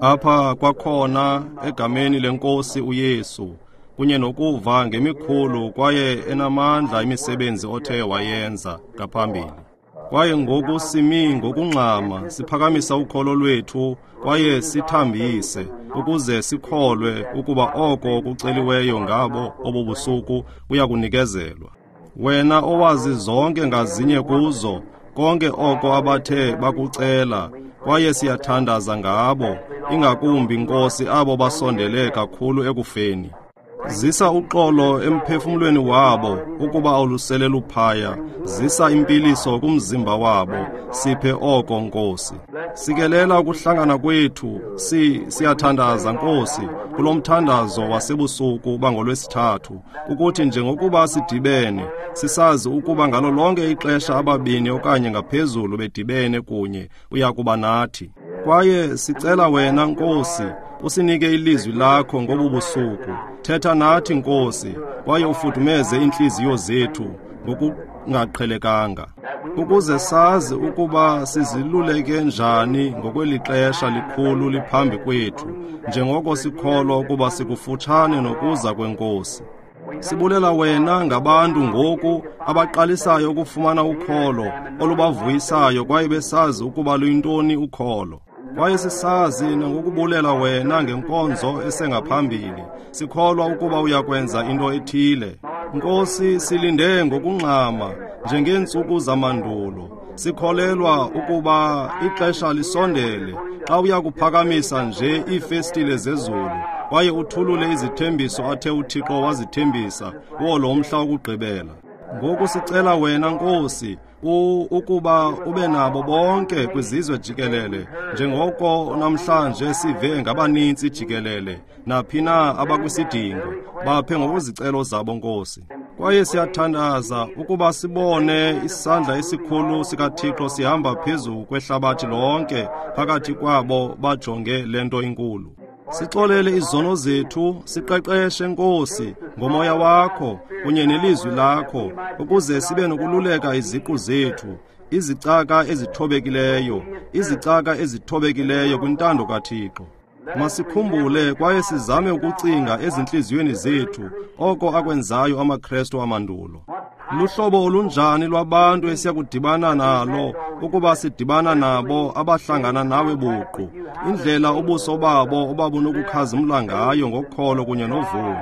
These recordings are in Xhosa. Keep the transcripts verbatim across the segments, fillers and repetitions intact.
Apha kwakhona egameni lenkosi uYesu kunye nokuva ngemikhulu kwaye enamandla imisebenzi othe wayenza ngaphambili. Kwaye ngoku simi ngokungxama siphakamisa ukholo lwethu kwaye sithambise ukuze sikholwe ukuba oko kuceliweyo ngabo obubusuku kuyakunikezelwa. Wena owazi zonke ngazinye kuzo konke oko abathe bakucela, kwaye siyathandaza ngabo, ingakumbi Nkosi abo basondele kakhulu ekufeni. Zisa uxolo emphefumlweni wabo ukuba awulusele luphaya, zisa impiliso kumzimba wabo, siphe oko Nkosi. Sikelela ukuhlangana kwethu, si siyathandaza Nkosi kulo mthandazo wasebusuku bangolwesithathu, ukuthi njengokuba sidibene sisazi ukuba ngalo lonke ixesha ababini okanye ngaphezulu bedibene kunye uyakuba nathi. Kwaye sicela wena Nkosi usinike ilizwi lakho ngobu busuku. Thetha nathi Nkosi, kwaye ufudumeze inhliziyo zethu ngokungaqhelekanga, ukuze sazi ukuba siziluleke njani ngokweli xesha likhulu liphambi kwethu, njengoko sikholwa ukuba sikufutshane nokuza kwenkosi. Sibulela wena ngabantu ngoku abaqalisayo ukufumana ukholo olubavuyisayo kwaye besazi ukuba luyintoni ukholo. Kwaye sisazi nangokubulela wena ngenkonzo esengaphambili, sikholwa ukuba uyakwenza into ethile. Nkosi, silinde ngokungxama njengeentsuku zamandulo. Sikholelwa ukuba ixesha lisondele xa uyakuphakamisa nje iifestile zezulu kwaye uthulule izithembiso athe uThixo wazithembisa kuwo lo mhla wokugqibela. Ngoku sicela wena Nkosi ukuba ube nabo bonke kwizizwe jikelele, njengoko namhlanje sive ngabanintsi jikelele naphi na abakwisidingo, baphe ngokwezicelo zabo Nkosi. Kwaye siyathandaza ukuba sibone isandla esikhulu sikaThixo sihamba phezu kwehlabathi lonke phakathi kwabo bajonge le nto inkulu. Sixolele izono zethu, siqeqeshe Nkosi ngomoya wakho kunye nelizwi lakho, ukuze sibe nokululeka iziqu zethu, izicaka ezithobekileyo, izicaka ezithobekileyo kwintando kaThixo. Masikhumbule kwaye sizame ukucinga ezintliziyweni zethu oko akwenzayo amaKrestu amandulo. Luhlobo olunjani lwabantu esiyakudibana nalo ukuba sidibana nabo abahlangana nawe buqu, indlela ubuso babo obabunokukhazimla ngayo ngokholo kunye novuyo.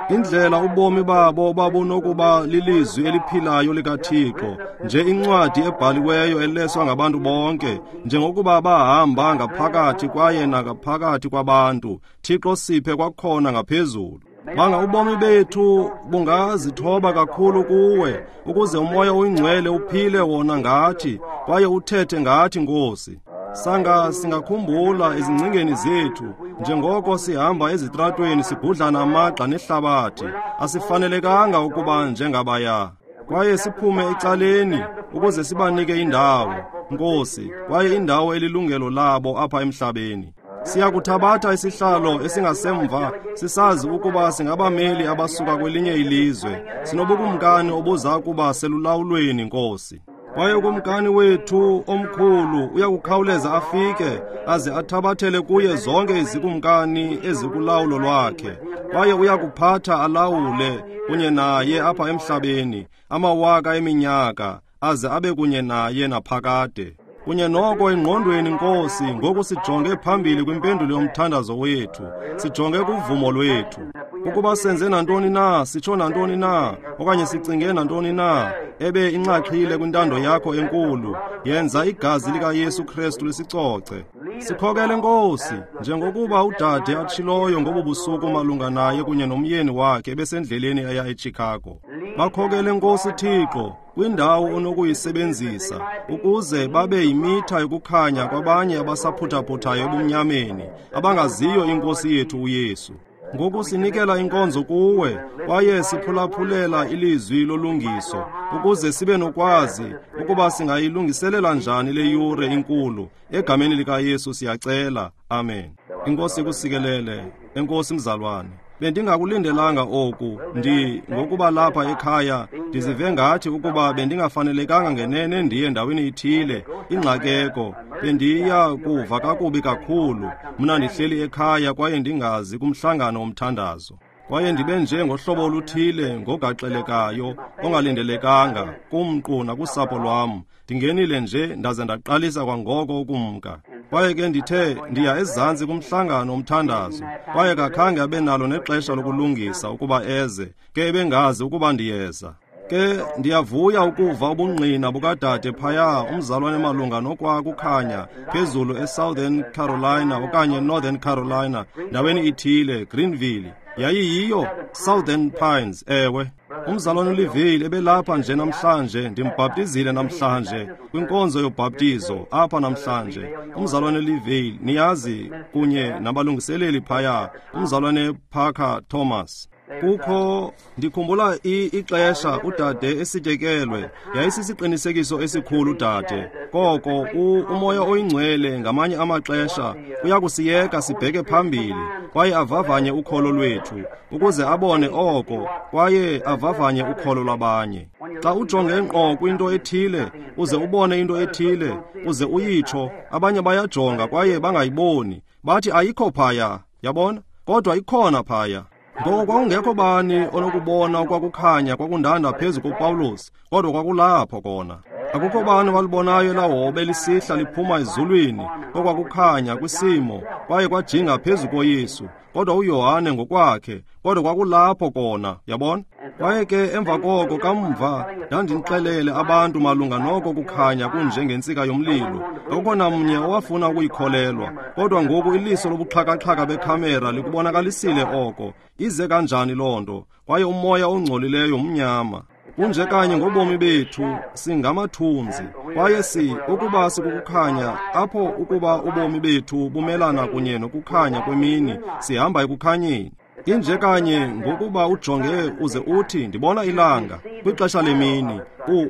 Indlela ubomi babo babunokuba lilizwi eliphilayo likaThixo, nje incwadi ebhaliweyo eleswa ngabantu bonke, njengokuba bahamba ngaphakathi kwaye nangaphakathi kwabantu. Thixo, siphe kwakhona ngaphezulu. Banga ubomi bethu bungazithoba kakhulu kuwe, ukuze umoya oyingcwele uphile wona ngathi kwaye uthethe ngathi Nkosi. Sanga singakhumbula ezingcingeni zethu njengoko sihamba ezitratweni sigudlana amagxa nehlabathi, asifanelekanga ukuba njengabaya. Kwaye siphume ecaleni ukuze sibanike indawo, Nkosi, kwaye indawo elilungelo labo apha emhlabeni. Siyakuthabatha isihlalo esingasemva sisazi ukuba singabameli abasuka kwelinye ilizwe. Sinobukumkani obuza kuba selulawulweni Nkosi. Kwaye ukumkani wethu omkhulu uyakukhawuleza afike aze athabathele kuye zonke izikumkani ezikulawulo lwakhe. Kwaye uyakuphatha alawule kunye naye apha emhlabeni amawaka eminyaka, aze abe kunye naye naphakade. Kunye noko engqondweni Nkosi, ngoku sijonge phambili kwimpendulo yomthandazo wethu, sijonge kuvumo lwethu. Ukuba senze nantoni na, sitsho nantoni na, okanye sicinge nantoni na, ebe inxaxhile kwintando yakho enkulu, yenza igazi likaYesu Kristu lisicoce. Sikhokele Nkosi, njengokuba udade atshiloyo ngobu busuku malunga naye kunye nomyeni wakhe besendleleni eya eChicago. Bakhokele Nkosi Thixo kwindawo onokuyisebenzisa ukuze babe yimitha yokukhanya kwabanye abasaphuthaphuthayo ebumnyameni, abangaziyo inkosi yethu uYesu. Ngoku sinikela inkonzo kuwe kwaye siphulaphulela ilizwi lolungiso, ukuze sibe nokwazi ukuba singayilungiselela njani le yure inkulu. Egameni likaYesu siyacela, amen. Inkosi ikusikelele. Enkosi mzalwane. Bendingakulindelanga oku. Ndi ngokuba lapha ekhaya ndizive ngathi ukuba bendingafanelekanga ngenene ndiye ndaweni ithile, ingxakeko. Bendiya kuva kakubi kakhulu. Mna ndihleli ekhaya kwaye ndingazi kumhlangano womthandazo. Kwaye ndibe nje ngohlobo oluthile ngogaxelekayo ongalindelekanga kumqu nakusapho lwam. Ndingenile nje ndaze ndaqalisa kwangoko ukumka. Kwaye ke ndithe ndiya ezantsi kumhlangano womthandazo. Kwaye kakhange abe nalo nexesha lokulungisa ukuba eze, ke ebengazi ukuba ndiyeza. Ke ndiyavuya ukuva ubungqina bukadade phaya umzalwane malunga nokwakukhanya phezulu eSouthern Carolina okanye Northern Carolina, ndaweni ithile, Greenville. Yayiyiyo Southern Pines, ewe. Umzalwane uLiville ebelapha nje namhlanje, ndimbhaptizile namhlanje kwinkonzo yobhaptizo apha namhlanje. Umzalwane Liville, niyazi, kunye nabalungiseleli phaya, umzalwane Parker Thomas. Kukho, ndikhumbula ixesha udade esityekelwe, yayisisiqinisekiso esikhulu udade. Koko uMoya oyiNgcwele ngamanye amaxesha uyakusiyeka sibheke phambili kwaye avavanye ukholo lwethu ukuze abone oko kwaye avavanye ukholo lwabanye. Xa ujonge ngqo kwinto ethile uze ubone into ethile uze uyitsho, abanye bayajonga kwaye bangayiboni, bathi ayikho phaya, yabona, kodwa ikhona phaya. Ngoko kwakungekho bani onokubona okwakukhanya kwakundanda phezu koPawulos, kodwa kwakulapho kona. Akukho bani walibonayo elaa hobe lisihla liphuma ezulwini okwakukhanya kwisimo kwaye kwajinga phezu koYesu, kodwa uYohane ngokwakhe, kodwa kwakulapho kona, yabona. Kwaye ke emva koko kamva ndandinixelele abantu malunga noko kukhanya kunjengentsika yomlilo. Akukho namnye owafuna ukuyikholelwa, kodwa ngoku iliso lobuxhakaxhaka bekhamera likubonakalisile oko. Ize kanjani loo nto? Kwaye umoya ongcolileyo mnyama. Kunje kanye ngobomi bethu singamathunzi, kwaye si ukuba sikukukhanya apho ukuba ubomi bethu bumelana kunye nokukhanya kwemini, sihamba ekukhanyeni. Inje kanye ngokuba ujonge uze uthi ndibona ilanga kwixesha lemini,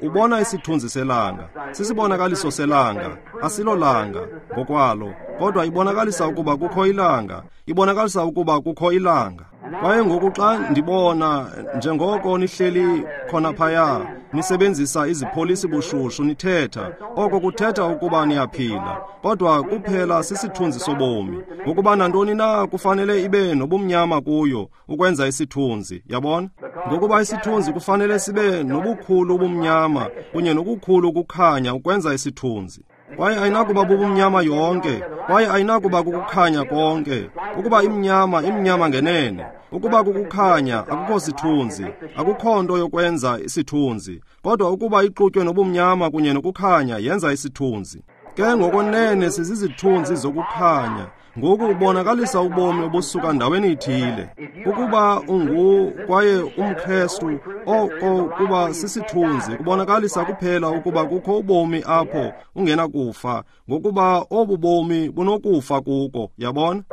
ubona isithunzi selanga, sisibonakaliso selanga, asilolanga ngokwalo, kodwa ibonakalisa ukuba kukho ilanga, ibonakalisa ukuba kukho ilanga. Kwaye ngoku xa ndibona njengoko nihleli khona phaya nisebenzisa izipholisi bushushu nithetha, oko kuthetha ukuba niyaphila, kodwa kuphela sisithunzi sobomi, ngokuba nantoni na kufanele ibe nobumnyama kuyo ukwenza isithunzi, yabona? Ngokuba isithunzi kufanele sibe nobukhulu ubumnyama kunye nokukhulu ukukhanya ukwenza isithunzi. Kwaye ayinakuba bubumnyama yonke, kwaye ayinakuba kukukhanya konke. Ukuba imnyama, imnyama ngenene. Ukuba kukukhanya, akukho sithunzi, akukho nto yokwenza isithunzi. Kodwa ukuba ixutywe nobumnyama kunye nokukhanya, yenza isithunzi. Ke ngokonene sizizithunzi zokukhanya. Ngoku ubonakalisa ubomi obusuka ndaweni ithile. Ukuba ungu kwaye umKrestu, oko kuba sisithunzi kubonakalisa kuphela ukuba kukho ubomi apho ungenakufa, ngokuba obu bomi bunokufa kuko, yabona?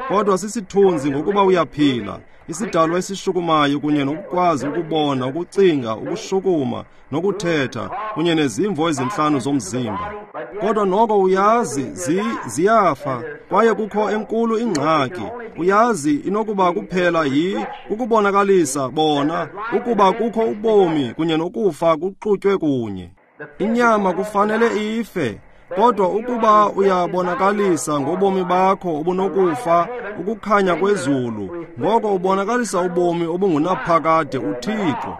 Kodwa sisithunzi ngokuba uyaphila, isidalwa esishukumayo kunye nokukwazi ukubona, ukucinga, ukushukuma nokuthetha kunye nezimvo ezintlanu zomzimba. Kodwa noko uyazi zi, ziyafa, kwaye kukho enkulu ingxaki. Uyazi inokuba kuphela yi ukubonakalisa bona ukuba kukho ubomi kunye nokufa kuxutywe kunye. Inyama kufanele ife, kodwa ukuba uyabonakalisa ngobomi bakho obunokufa ukukhanya kwezulu, ngoko ubonakalisa ubomi obungunaphakade uThixo.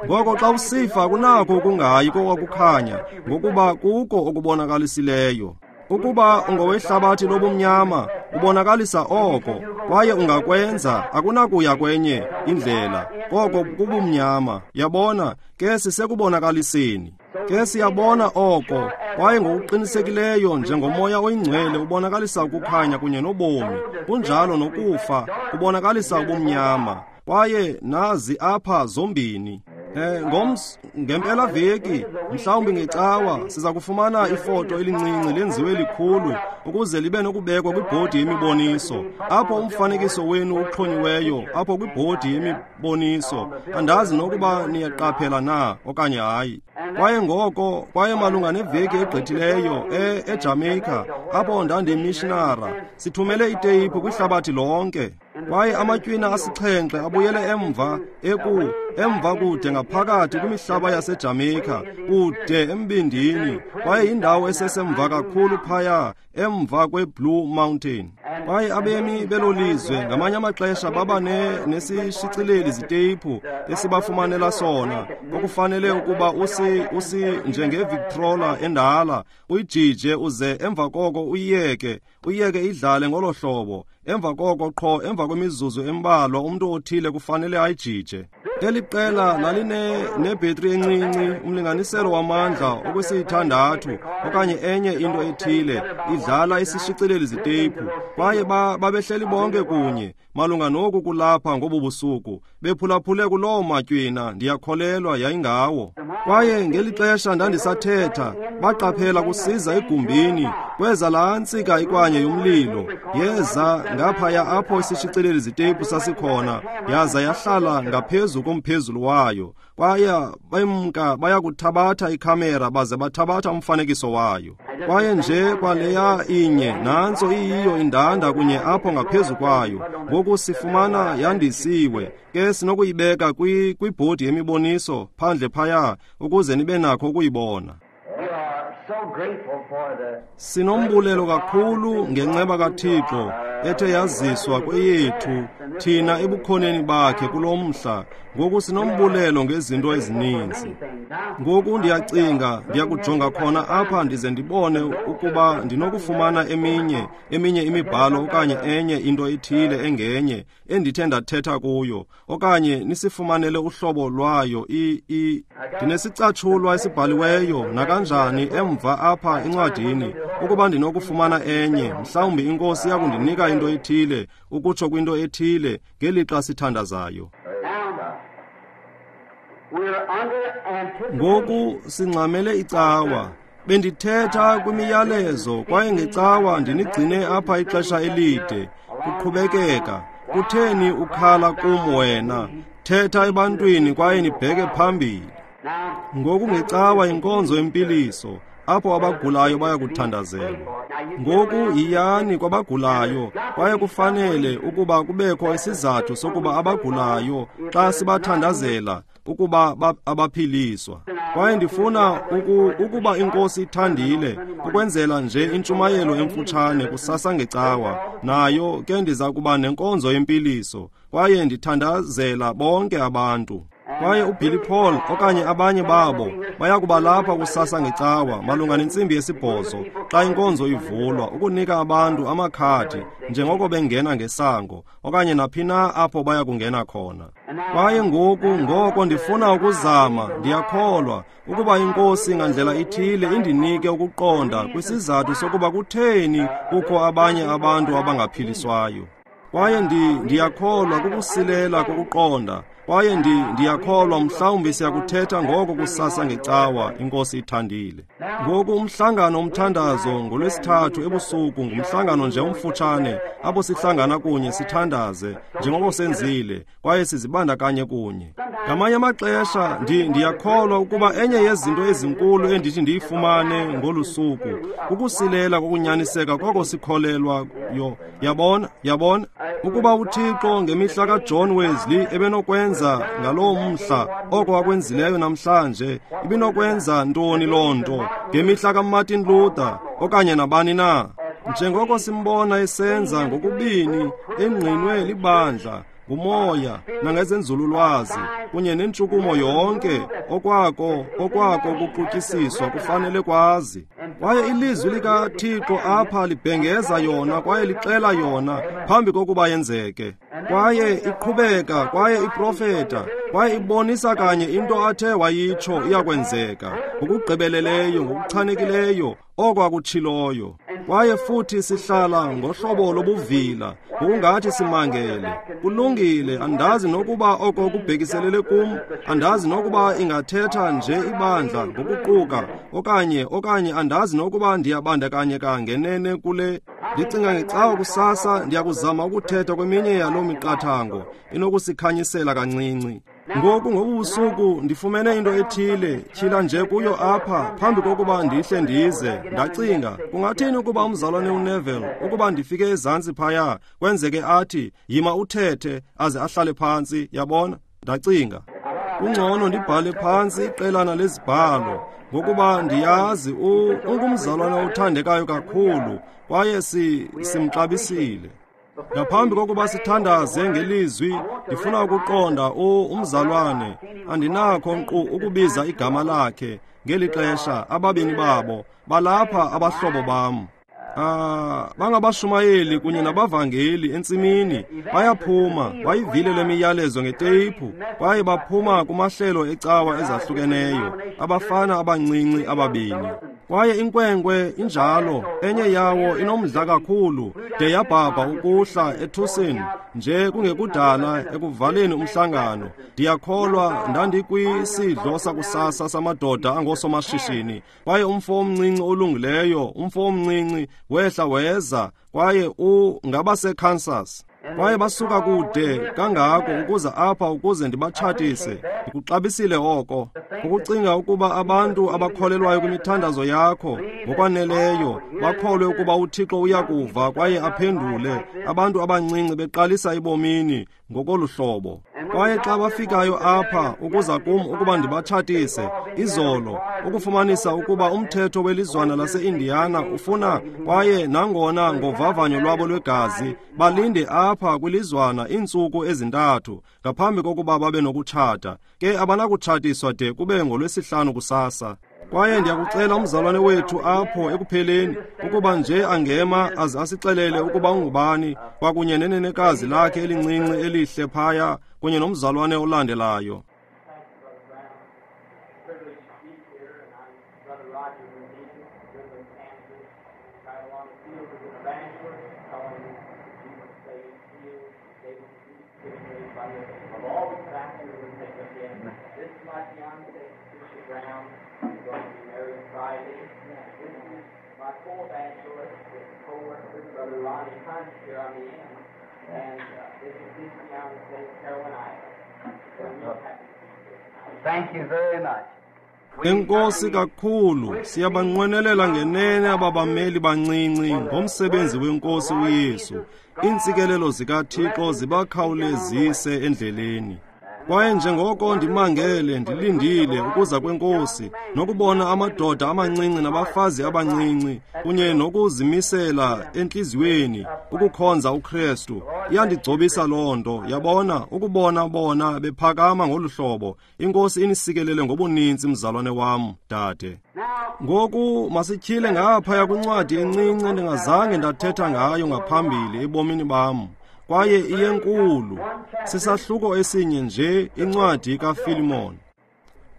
Ngoko xa usifa kunakho ukungayi kokwakukhanya, ngokuba kuko okubonakalisileyo. Ukuba ungowehlabathi lobumnyama, ubonakalisa oko, kwaye ungakwenza, akunakuya kwenye indlela, koko kubumnyama. Yabona, ke sisekubonakaliseni. Ke siyabona oko, kwaye ngokuqinisekileyo njengoMoya oyiNgcwele ubonakalisa ukukhanya kunye nobomi, kunjalo nokufa kubonakalisa ubumnyama. Kwaye nazi apha zombini. Eh, ngoms ngempela veki, mhlawumbi ngecawa, siza kufumana ifoto elincinci lenziwe likhulu ukuze libe nokubekwa kwibhodi yemiboniso. Apho umfanekiso wenu uxhonyiweyo apho kwibhodi yemiboniso. Andazi nokuba niyaqaphela na okanye hayi. Kwaye ngoko, kwaye malunga neveki egqithileyo e eJamaica, apho ndandiyimishinara, sithumele iteyiphu kwihlabathi lonke. Kwaye amatywina asixhenxe abuyele emva eku emva kude ngaphakathi kwimihlaba yaseJamaica, kude embindini, kwaye indawo esesemva kakhulu phaya emva kweBlue Mountain. Kwaye abemi belo lizwe ngamanye amaxesha baba nesishicileli ziteyiphu esibafumanela sona, okufanele ukuba usi usi njengeVictrola endala, uyijije uze emva koko uyiyeke, uyiyeke idlale ngolo hlobo. Emva koko qho emva kwemizuzu embalwa umntu othile kufanele ayijije. Eli qela laline nebhetri encinci, umlinganiselo wamandla okwesithandathu okanye enye into ethile, idlala isishicileli ziteyiphu. Kwaye babehleli bonke kunye malunga noku kulapha ngobu busuku, bephulaphule kuloo matywina, ndiyakholelwa yayingawo. Kwaye ngeli xesha ndandisathetha, baqaphela kusiza egumbini, kweza laa ntsika ikwanye yomlilo, yeza ngaphaya apho isishicileli ziteyiphu sasikhona, yaza yahlala ngaphezu komphezulu wayo. Kwaye bemka baya kuthabatha ikhamera baze bathabatha umfanekiso wayo. Kwaye nje kwaleya inye, nantso iyiyo indanda kunye apho ngaphezu kwayo. Ngoku sifumana yandisiwe, ke sinokuyibeka kwibhodi yemiboniso phandle phaya ukuze nibe nakho ukuyibona. Sinombulelo kakhulu ngenceba kaThixo ethe yaziswa kweyethu thina ebukhoneni bakhe kulo mhla. Ngoku sinombulelo ngezinto ezininzi. Ngoku ndiyacinga ndiyakujonga khona apha ndize ndibone ukuba ndinokufumana eminye eminye imibhalo okanye enye into ethile engenye endithe ndathetha kuyo, okanye nisifumanele uhlobo lwayo. I i ndinesicatshulwa esibhaliweyo nakanjani emva apha encwadini, ukuba ndinokufumana enye, mhlawumbi iNkosi iyakundinika into ethile ukutsho kwinto ethile ngelixa sithandazayo. Ngoku singxamele icawa. Bendithetha kwimiyalezo kwaye ngecawa ndinigcine apha ixesha elide. Kuqhubekeka, kutheni ukhala kum wena? Thetha ebantwini kwaye nibheke phambili. Ngoku ngecawa inkonzo yempiliso, apho abagulayo bayakuthandazelwa. Ngoku yiyani kwabagulayo, kwaye kufanele ukuba kubekho isizathu sokuba abagulayo xa sibathandazela ukuba abaphiliswa. Kwaye ndifuna uku, ukuba iNkosi ithandile ukwenzela nje intshumayelo emfutshane kusasa ngecawa, nayo ke ndiza kuba nenkonzo yempiliso, kwaye ndithandazela bonke abantu. Kwaye uBilly Paul okanye abanye babo bayakuba lapha kusasa ngecawa malunga nentsimbi yesibhozo xa inkonzo ivulwa, ukunika abantu amakhadi njengoko bengena ngesango okanye naphi na apho baya kungena khona. Kwaye ngoku ngoko ndifuna ukuzama, ndiyakholwa ukuba iNkosi ngandlela ithile indinike ukuqonda kwisizathu sokuba kutheni kukho abanye abantu abangaphiliswayo. Kwaye ndi ndiyakholwa kukusilela kokuqonda. Kwaye ndi ndiyakholwa mhlawumbi siyakuthetha ngoko kusasa ngecawa, iNkosi ithandile. Ngoku umhlangano umthandazo ngolwesithathu ebusuku ngumhlangano nje omfutshane apho sihlangana kunye sithandaze njengoko senzile kwaye sizibandakanye kunye. Ngamanye amaxesha ndi ndiyakholwa ukuba enye yezinto ezinkulu endithi ndiyifumane ngolu suku kukusilela kokunyaniseka koko sikholelwayo. Yabona, yabona ukuba uThixo ngemihla kaJohn Wesley ebenokwenza ngaloo mhla oko akwenzileyo namhlanje, ibinokwenza ntoni loo nto ngemihla kaMartin Luther okanye nabani na? Njengoko simbona esenza ngokubini engqinwe libandla ngumoya nangezenzululwazi kunye nentshukumo yonke, okwako okwako kuqutyisiswa kufanele kwazi. Kwaye ilizwi likaThixo apha libhengeza yona kwaye lixela yona phambi kokuba yenzeke. Kwaye iqhubeka kwaye iprofeta kwaye ibonisa kanye into athe wayitsho iyakwenzeka ngokugqibeleleyo, ngokuchanekileyo oko akutshiloyo. Kwaye futhi sihlala ngohlobo lobuvila ngokungathi simangele. Kulungile, andazi nokuba oko kubhekiselele kum, andazi nokuba ingathetha nje ibandla ngokuquka okanye okanye andazi nokuba ndiyabandakanyeka ngenene kule. Ndicinga ngecawa kusasa ndiyakuzama ukuthetha kweminye yaloo miqathango inokusikhanyisela kancinci. Ngoku ngobubusuku ndifumene into ethile, tyhila nje kuyo apha phambi kokuba ndihle ndize. Ndacinga, kungathini ukuba umzalwane uNeville, ukuba ndifike ezantsi phaya, kwenzeke athi, yima uthethe, aze ahlale phantsi, yabona? Ndacinga, kungcono ndibhale phantsi iqelana lezibhalo, ngokuba ndiyazi ungumzalwane othandekayo kakhulu, kwaye si simxabisile. Ngaphambi kokuba sithandaze ngelizwi, ndifuna ukuqonda umzalwane, andinakho nkqu ukubiza igama lakhe ngeli xesha. Ababini babo balapha, abahlobo bam. Ah, bangabashumayeli kunye nabavangeli entsimini, bayaphuma, bayivile le miyalezo ngeteyiphu, kwaye baphuma kumahlelo ecawa ezahlukeneyo, abafana abancinci ababini. Kwaye inkwenkwe injalo, enye yawo inomdla kakhulu, de yabhabha ukuhla eTucson nje kungekudala ekuvaleni umhlangano. Ndiyakholwa ndandikwisidlo sakusasa samadoda angosomashishini, kwaye umfo omncinci olungileyo, umfo omncinci wehla weza, kwaye ungabaseKansas. Kwaye basuka kude kangako ukuza apha ukuze ndibatshatise. Ndikuxabisile oko, ukucinga ukuba abantu abakholelwayo kwimithandazo yakho ngokwaneleyo bakholwe ukuba uThixo uyakuva kwaye aphendule, abantu abancinci beqalisa ebomini ngokolu hlobo. Kwaye xa bafikayo apha ukuza kum ukuba ndibatshatise izolo, ukufumanisa ukuba umthetho welizwana lase-Indiana ufuna, kwaye nangona ngovavanyo lwabo lwegazi, balinde apha kwilizwana iintsuku ezintathu ngaphambi kokuba babe nokutshata. Ke abanakutshatiswa de kube ngolwesihlanu kusasa. Kwaye ndiyakucela umzalwane wethu apho ekupheleni ukuba nje angema aze asixelele ukuba ungubani, kwakunye nenenekazi lakhe elincinci elihle phaya, kunye nomzalwane olandelayo. Thank you very much. Enkosi kakhulu, siyabanqwenelela ngenene ababameli bancinci ngomsebenzi wenkosi uYesu. Iintsikelelo zikaThixo zibakhawulezise endleleni. Kwaye njengoko ndimangele ndilindile ukuza kwenkosi nokubona amadoda amancinci nabafazi abancinci kunye nokuzimisela entliziyweni ukukhonza uKristu, iyandigcobisa loo nto, yabona, ukubona bona bephakama ngolu hlobo. Inkosi inisikelele ngobuninzi, mzalwane wam, dade. Ngoku masityhile ngaphaya kwincwadi encinci endingazange ndathetha ngayo ngaphambili ebomini bam, kwaye iyenkulu. Sisahluko esinye nje, incwadi kaFilimon.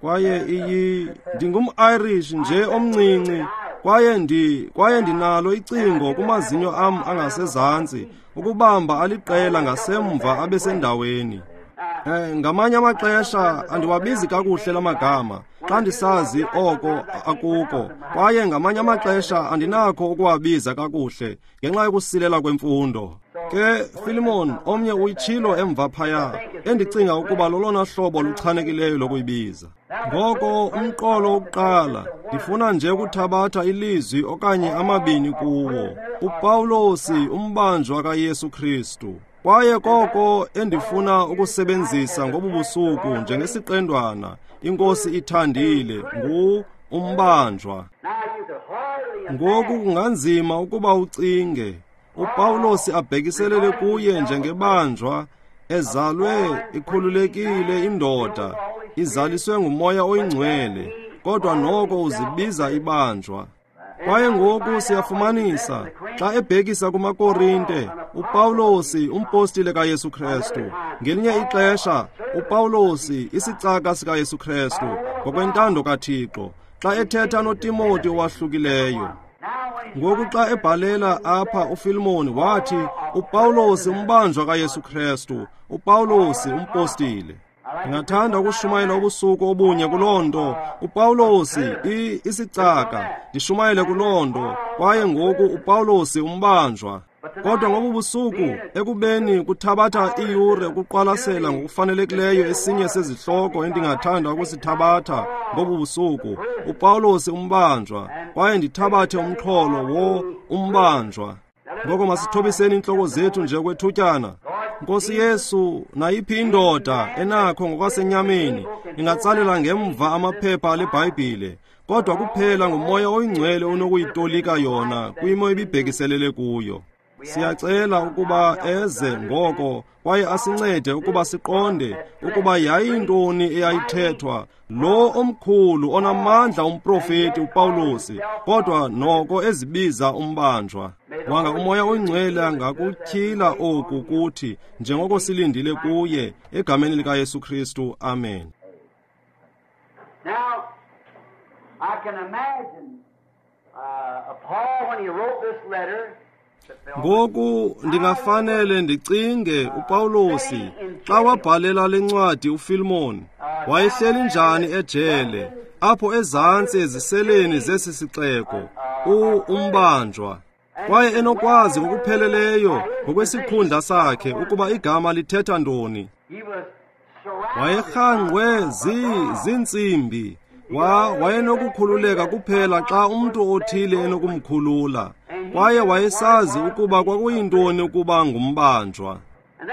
Kwaye iyi ndingum-Irish nje omncinci, kwaye ndi kwaye ndinalo icingo kumazinyo am angasezantsi ukubamba aliqela ngasemva abesendaweni. Eh, ngamanye amaxesha andiwabizi kakuhle lamagama xa ndisazi oko akuko, kwaye ngamanye amaxesha andinakho ukuwabiza kakuhle ngenxa yokusilela kwemfundo. Ke Filimon omnye uyitshilo emva phaya, endicinga ukuba lolona hlobo luchanekileyo lokuyibiza. Ngoko umqolo wokuqala, ndifuna nje ukuthabatha ilizwi okanye amabini kuwo. uPawulosi, umbanjwa kaYesu Kristu. Kwaye koko endifuna ukusebenzisa ngobu busuku njengesiqendwana, iNkosi ithandile, ngu umbanjwa. Ngoku kunganzima ukuba ucinge uPawulosi abhekiselele kuye njengebanjwa, ezalwe ikhululekile indoda, izaliswe nguMoya oyiNgcwele, kodwa noko uzibiza ibanjwa. Kwaye ngoku siyafumanisa xa ebhekisa kumaKorinte, uPawulosi umpostile kaYesu Kristu. Ngelinye ixesha uPawulosi isicaka sikaYesu Kristu ngokwentando kaThixo, xa ethetha noTimoti owahlukileyo. Ngoku xa ebhalela apha uFilimoni wathi uPawulosi umbanjwa kaYesu Kristu, uPawulosi umpostile. Ndingathanda ukushumayela ubusuku obunye kuloo nto. uPawulosi isicaka, ndishumayele kuloo nto. Kwaye ngoku uPawulosi umbanjwa. Kodwa ngobu busuku, ekubeni kuthabatha iiyure ukuqwalasela ngokufanelekileyo esinye sezihloko endingathanda ukusithabatha ngobu busuku, uPawulos umbanjwa, kwaye ndithabathe umxholo wo umbanjwa. Ngoko masithobiseni iintloko zethu nje kwethutyana. Nkosi Yesu, nayiphi indoda enakho ngokwasenyameni ingatsalela ngemva amaphepha aleBhayibhile, kodwa kuphela nguMoya oyiNgcwele onokuyitolika yona kwimo ebibhekiselele kuyo. Siyacela ukuba eze ngoko kwaye asincede ukuba siqonde ukuba yayintoni eyayithethwa lo omkhulu onamandla umprofeti uPawulos, kodwa noko ezibiza umbanjwa. Wanga uMoya oyiNgcwele angakutyhila oku kuthi njengoko silindile kuye, egameni likaYesu Kristu, amen. Now, I can imagine uh, Paul when he wrote this letter. Ngoku ndingafanele ndicinge uPawulos xa wabhalela le ncwadi uFilemon, wayehleli njani ejele apho ezantsi eziseleni zesi sixeko, umbanjwa, kwaye enokwazi ngokupheleleyo ngokwesikhundla sakhe ukuba igama lithetha ntoni. Wayerhangqwe ziintsimbi, wa wayenokukhululeka kuphela xa umntu othile enokumkhulula, kwaye wayesazi ukuba kwakuyintoni ukuba ngumbanjwa.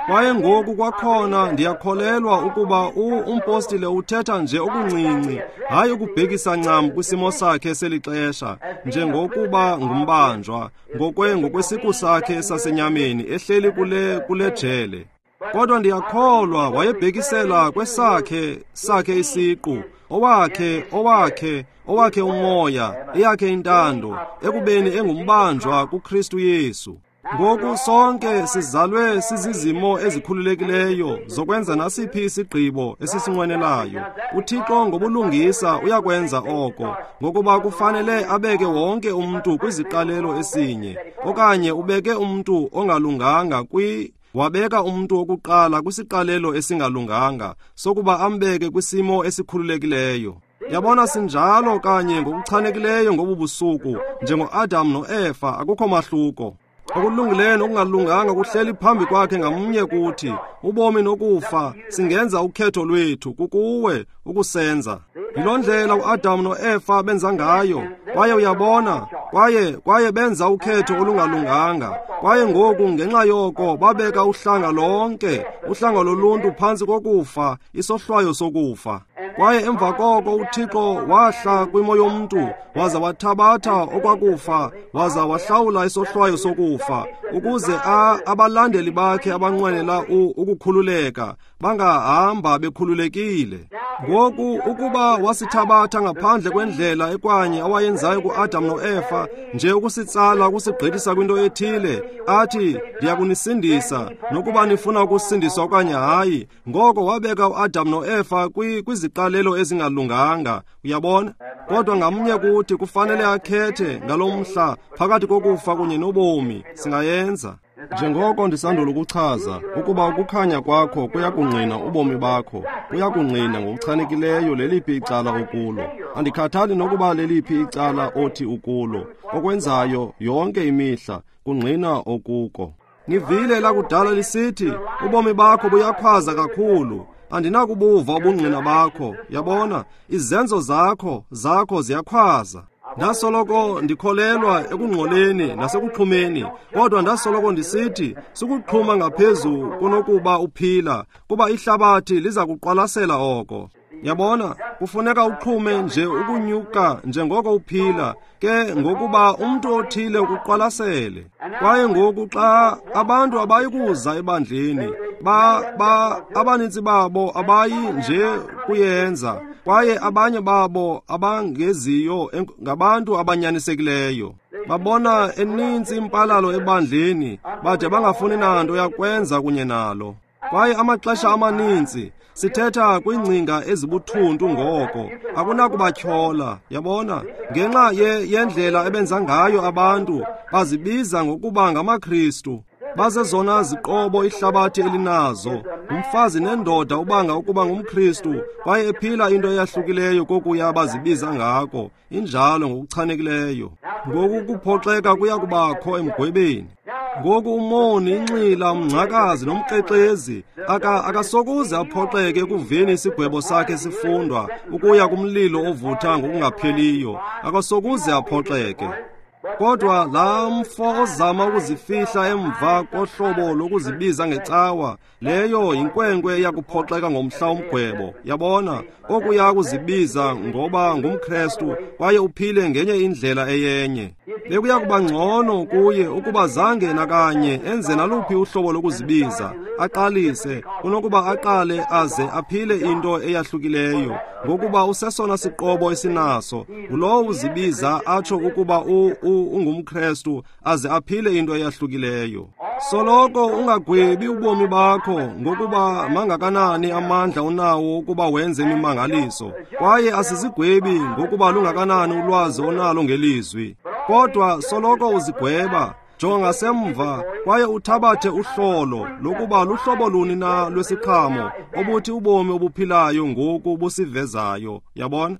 Kwaye ngoku kwakhona ndiyakholelwa ukuba umpostile uthetha nje okuncinci, hayi ukubhekisa ncam kwisimo sakhe seli xesha njengokuba ngumbanjwa ngokwe ngokwesiqu sakhe sasenyameni ehleli kule kule jele. Kodwa ndiyakholwa wayebhekisela kwesakhe sakhe isiqu, owakhe owakhe owakhe umoya, eyakhe intando, ekubeni engumbanjwa kuKristu Yesu. Ngoku sonke sizalwe sizizimo ezikhululekileyo zokwenza nasiphi isigqibo esisinqwenelayo. UThixo ngobulungisa uyakwenza oko, ngokuba kufanele abeke wonke umntu kwiziqalelo esinye, okanye ubeke umntu ongalunganga kwi wabeka umntu wokuqala kwisiqalelo esingalunganga sokuba ambeke kwisimo esikhululekileyo. Yabona, sinjalo kanye ngokuchanekileyo ngobu busuku njengoAdam noEfa, akukho mahluko. Okulungileyo nokungalunganga kuhleli phambi kwakhe ngamnye kuthi. Ubomi nokufa singenza ukhetho lwethu, kukuwe ukusenza. Yiloo ndlela uAdam noEfa benza ngayo, kwaye uyabona, kwaye kwaye benza ukhetho olungalunganga. Kwaye ngoku ngenxa yoko babeka uhlanga lonke, uhlanga loluntu phantsi kokufa, isohlwayo sokufa. Kwaye emva koko uThixo wahla kwimo yomntu, waza wathabatha okwakufa, waza wahlawula isohlwayo sokufa, ukuze a abalandeli bakhe abanqwenela ukukhululeka bangahamba bekhululekile. Ngoku ukuba wasithabatha ngaphandle kwendlela ekwanye awayenzayo kuAdam noEfa, nje ukusitsala ukusigqithisa kwinto ethile, athi ndiyakunisindisa nokuba nifuna ukusindiswa okanye hayi, ngoko wabeka uAdam noEfa kwiziqalelo ezingalunganga, uyabona? Kodwa ngamnye kuthi kufanele akhethe ngalo mhla phakathi kokufa kunye nobomi. Singayenza. Njengoko ndisandula ukuchaza ukuba ukukhanya kwakho kuyakungqina ubomi bakho, kuyakungqina ngokuchanekileyo leliphi icala okulo. Andikhathali nokuba leliphi icala othi ukulo, okwenzayo yonke imihla kungqina okuko. Nivile lakudala lisithi ubomi bakho buyakhwaza kakhulu, andinakubuva ubungqina bakho. Yabona, izenzo zakho zakho ziyakhwaza. Ndasoloko ndikholelwa ekungxoleni nasekuxhumeni, kodwa ndasoloko ndisithi sukuxhuma ngaphezu kunokuba uphila, kuba ihlabathi liza kuqwalasela oko. Yabona, kufuneka uxhume nje ukunyuka njengoko uphila, ke ngokuba umntu othile ukuqwalasele. Kwaye ngoku xa abantu abayi kuza ebandleni, ba ba abanintsi babo abayi nje kuyenza, kwaye abanye babo abangeziyo ngabantu abanyanisekileyo. Babona enintsi impalalo ebandleni, bade bangafuni nanto yakwenza kunye nalo. Kwaye amaxesha amaninzi sithetha kwiingcinga ezibuthuntu ngoko, akunakubatyhola, yabona, ngenxa ye yendlela ebenza ngayo abantu, bazibiza ngokuba ngamaKristu. Bazezona ziqobo ihlabathi elinazo, umfazi nendoda ubanga ukuba ngumKristu, kwaye ephila into eyahlukileyo kokuya bazibiza ngako, injalo ngokuchanekileyo. Ngoku kuphoxeka kuya kubakho emgwebeni. Ngoku umoni, inxila, umngcakazi nomkrexezi aka akasokuze aphoxeke ekuveni isigwebo sakhe sifundwa ukuya kumlilo ovutha ngokungapheliyo. Akasokuze aphoxeke. Kodwa laa mfo ozama ukuzifihla emva kohlobo lokuzibiza ngecawa, leyo yinkwenkwe eyakuphoxeka ngomhla womgwebo. Yabona, okuya kuzibiza ngoba ngumKrestu kwaye uphile ngenye indlela eyenye. Bekuya kuba ngcono kuye ukuba zange nakanye enze naluphi uhlobo lokuzibiza, aqalise, kunokuba aqale aze aphile into eyahlukileyo, ngokuba usesona siqobo esinaso. Ngulowo uzibiza atsho ukuba ungumKrestu aze aphile into eyahlukileyo. Soloko ungagwebi ubomi bakho ngokuba mangakanani amandla onawo ukuba wenze imimangaliso, kwaye asizigwebi ngokuba lungakanani ulwazi onalo ngelizwi. Kodwa soloko uzigweba, jonga ngasemva kwaye uthabathe uhlolo lokuba luhlobo luni na lwesiqhamo obuthi ubomi obuphilayo ngoku busivezayo. Yabona?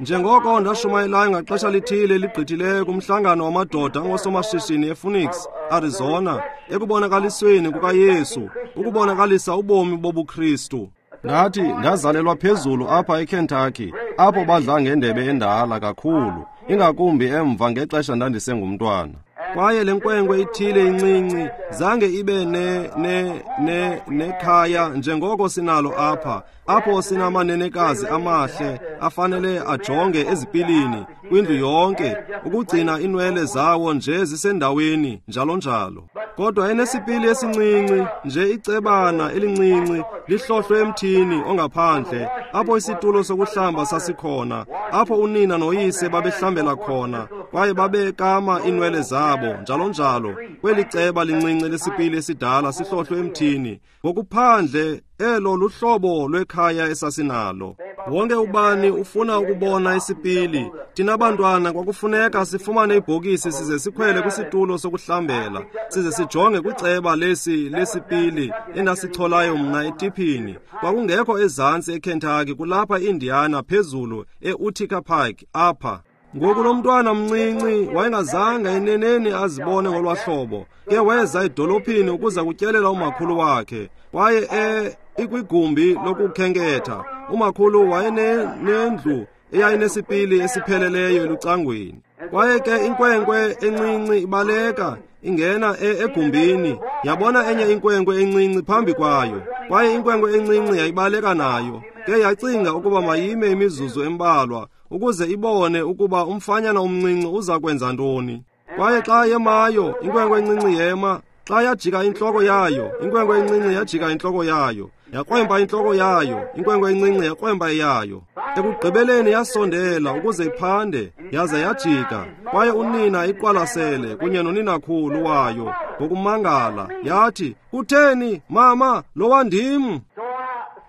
Njengoko ndashumayelayo ngaxesha lithile ligqithileyo kumhlangano wamadoda angosomashishini ePhoenix, Arizona, ekubonakalisweni kukaYesu, ukubonakalisa ubomi bobuKristu. Ndathi ndazalelwa phezulu apha eKentucky, apho badla ngendebe endala kakhulu, ingakumbi emva ngexesha ndandisengumntwana. Kwaye le nkwenkwe ithile incinci zange ibe ne ne ne nekhaya njengoko sinalo apha, apho sinamanenekazi amahle afanele ajonge ezipilini kwindlu yonke ukugcina inwele zawo nje zisendaweni njalo njalo. Kodwa enesipili esincinci nje, icebana elincinci lihlohlwe emthini ongaphandle, apho isitulo sokuhlamba sasikhona, apho unina noyise babehlambela khona kwaye babekama inwele zabo njalo njalo. Kweli ceba lincinci lesipili esidala sihlohlwe emthini ngokuphandle, elo luhlobo lwekhaya esasinalo. Wonke ubani ufuna ukubona isipili. Thina bantwana kwakufuneka sifumane ibhokisi size sikhwele kwisitulo sokuhlambela, size sijonge kwiceba lesi lesipili endasicholayo mna etiphini. Kwakungekho ezantsi eKentucky, kulapha eIndiana phezulu eUtica Pike apha. Ngoku lo mntwana mncinci wayengazange eneneni azibone ngolwahlobo. Ke weza edolophini ukuza kutyelela umakhulu wakhe, kwaye e ikwigumbi lokukhenketha. Umakhulu wayenendlu eyayinesipili esipheleleyo elucangweni. Kwaye ke inkwenkwe encinci ibaleka ingena egumbini, yabona enye inkwenkwe encinci phambi kwayo, kwaye inkwenkwe encinci yayibaleka nayo. Ke yacinga ukuba mayime imizuzu embalwa ukuze ibone ukuba umfanyana omncinci uza kwenza ntoni. Kwaye xa yemayo, inkwenkwe encinci yema. Xa yajika intloko yayo, inkwenkwe encinci yajika intloko yayo, yakrwempa intloko yayo, inkwenkwe encinci yakrwempa eyayo. Ekugqibeleni yasondela ukuze iphande, yaze yajika. Kwaye unina iqwalasele kunye noninakhulu wayo ngokumangala, yathi, "Kutheni, mama, lowa ndim?"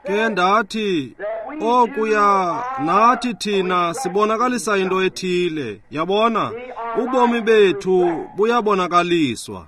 Ke ndathi, okuya nathi thina sibonakalisa into ethile. Yabona, ubomi bethu buyabonakaliswa.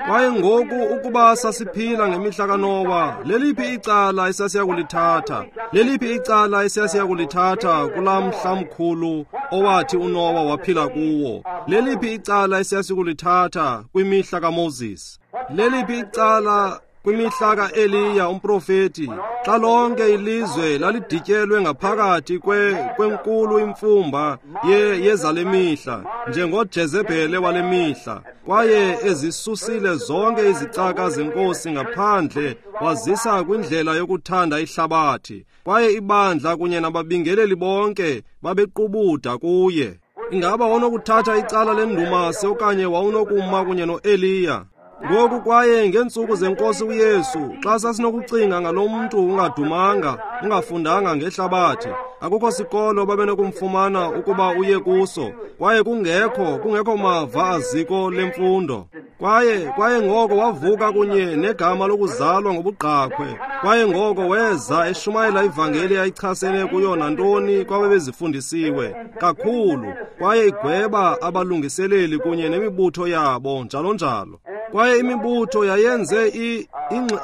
Kwaye ngoku ukuba sasiphila ngemihla kaNowa, leliphi icala esasiya kulithatha? Leliphi icala esasiya kulithatha kulaa mhla mkhulu owathi uNowa waphila kuwo? Leliphi icala esasiya kulithatha kwimihla kaMoses? Leliphi icala kwimihla kaEliya umprofeti, xa lonke ilizwe lalidityelwe ngaphakathi kwe kwenkulu imfumba ye yezale mihla, njengoJezebhele wale mihla, kwaye ezisusile zonke izicaka zenkosi ngaphandle wazisa kwindlela yokuthanda ihlabathi, kwaye ibandla kunye nababingeleli bonke babequbuda kuye. Ingaba wawunokuthatha icala lendumasi okanye wawunokuma kunye noEliya? Ngoku kwaye ngeentsuku zenkosi uYesu, xa sasinokucinga ngalo mntu ungadumanga, ungafundanga ngehlabathi, akukho sikolo babenokumfumana ukuba uye kuso, kwaye kungekho kungekho mava aziko lemfundo. Kwaye kwaye ngoko wavuka kunye negama lokuzalwa ngobugqakhwe, kwaye ngoko weza eshumayela ivangeli ayichasene kuyo nantoni kwabebezifundisiwe kakhulu, kwaye igweba abalungiseleli kunye nemibutho yabo njalo njalo. Kwaye imibutho yayenze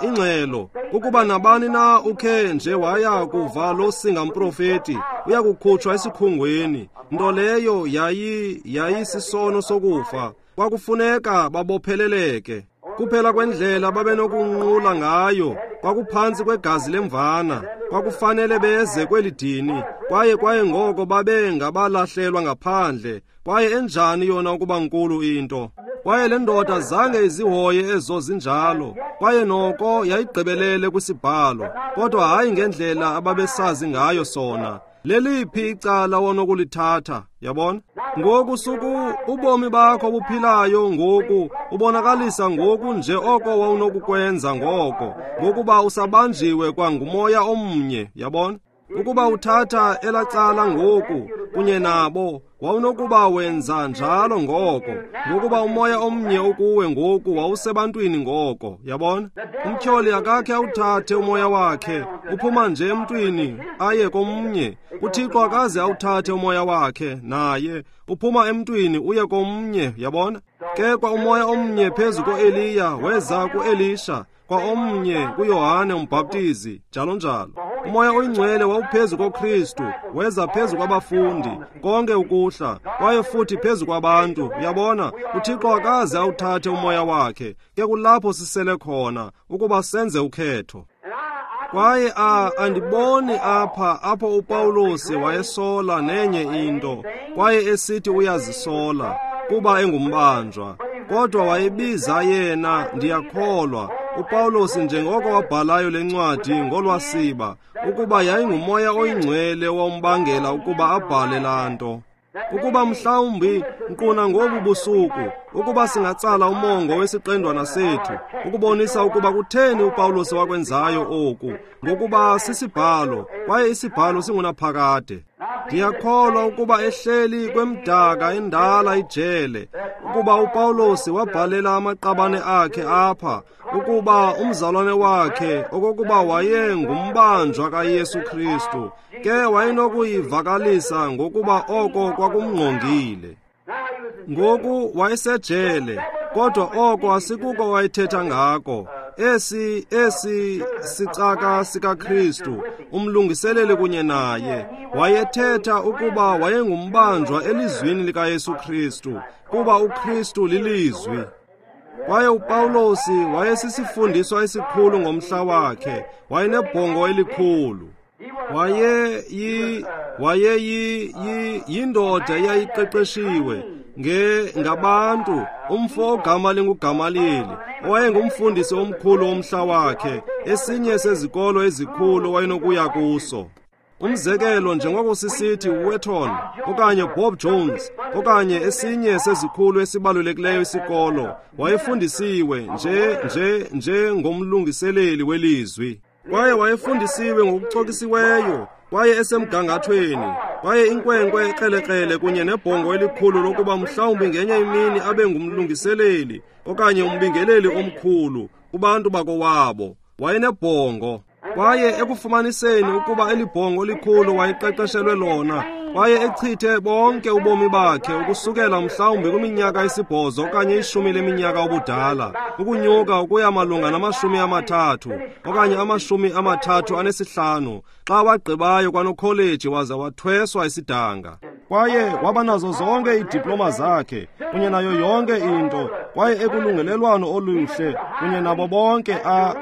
ingxelo ukuba nabani na ukhe nje waya kuva lo singamprofeti uyakukhutshwa esikhungweni, nto leyo yayi yayisisono sokufa. Kwakufuneka babopheleleke. Kuphela kwendlela babenokunqula ngayo kwakuphantsi kwegazi lemvana. Kwakufanele beze kweli dini, kwaye kwaye ngoko babe ngabalahlelwa ngaphandle. Kwaye enjani yona ukuba nkulu into! Kwaye le ndoda zange izihoye ezo zinjalo, kwaye noko yayigqibelele kwisibhalo, kodwa hayi ngendlela ababesazi ngayo sona. Leliphi icala wonokulithatha, yabona? Ngoku suku ubomi bakho buphilayo ngoku ubonakalisa ngoku nje oko wawunokukwenza ngoko, ngokuba usabanjiwe kwangumoya omnye, yabona? Ukuba uthatha elacala ngoku kunye nabo, wawunokuba wenza njalo ngoko, ngokuba umoya omnye ukuwe ngoku wawusebantwini ngoko, yabona? Umtyholi akakhe awuthathe umoya wakhe, uphuma nje emntwini aye komnye. UThixo akaze awuthathe umoya wakhe naye, uphuma emntwini uye komnye, yabona? Ke kwa umoya omnye phezu koEliya weza kuElisha, kwa omnye kuYohane umbhaptizi, njalo njalo. Umoya oyingcwele wawuphezu koKristu, weza phezu kwabafundi, konke ukuhla, kwaye futhi phezu kwabantu. Uyabona, uThixo akaze awuthathe umoya wakhe. Ke kulapho sisele khona, ukuba senze ukhetho. Kwaye a andiboni apha apho uPawulos wayesola nenye into, kwaye esithi uyazisola kuba engumbanjwa, kodwa wayebiza yena, ndiyakholwa, uPawulos njengoko wabhalayo le ncwadi ngolwasiba, ukuba yayingumoya oyingcwele wombangela ukuba abhale laa nto. Ukuba mhlawumbi nkquna ngobu busuku, ukuba singatsala umongo wesiqendwana sethu, ukubonisa ukuba kutheni uPawulos wakwenzayo oku, ngokuba sisibhalo, kwaye isibhalo singunaphakade. Ndiyakholwa ukuba ehleli kwemdaka endala ijele, ukuba uPawulos wabhalela amaqabane akhe apha, ukuba umzalwane wakhe okokuba waye ngumbanjwa kaYesu Kristu, ke wayenokuyivakalisa ngokuba oko kwakumngqongile. Ngoku wayesejele, kodwa oko asikuko wayethetha ngako. Esi esi sicaka sikaKristu, umlungiseleli kunye naye, wayethetha ukuba wayengumbanjwa elizwini likaYesu Kristu, kuba uKristu lilizwi. Kwaye uPawulos wayesisifundiswa esikhulu ngomhla wakhe, wayenebhongo elikhulu. Waye yi waye yi yi yindoda eyayiqeqeshiwe nge ngabantu, umfo ogama linguGamalili, owayengumfundisi omkhulu womhla wakhe, esinye sezikolo ezikhulu wayenokuya kuso. Umzekelo njengoko sisithi Wetton okanye Bob Jones okanye esinye sezikhulu esibalulekileyo isikolo, wayefundisiwe nje nje njengomlungiseleli welizwi. Kwaye wayefundisiwe ngokucokisiweyo, kwaye esemgangathweni, kwaye inkwenkwe ekrelekrele kunye nebhongo elikhulu lokuba mhlawumbi ngenye imini abe ngumlungiseleli okanye umbingeleli omkhulu kubantu bakowabo. Wayenebhongo. Kwaye ekufumaniseni ukuba eli bhongo likhulu wayeqeqeshelwe lona, kwaye echithe bonke ubomi bakhe ukusukela mhlawumbi kwiminyaka esibhozo okanye ishumi leminyaka ubudala, ukunyuka ukuya malunga namashumi amathathu okanye amashumi amathathu anesihlanu, xa wagqibayo kwanokholeji waza wathweswa isidanga. Kwaye waba nazo zonke iidiploma zakhe kunye nayo yonke into, kwaye ekulungelelwano oluhle kunye nabo bonke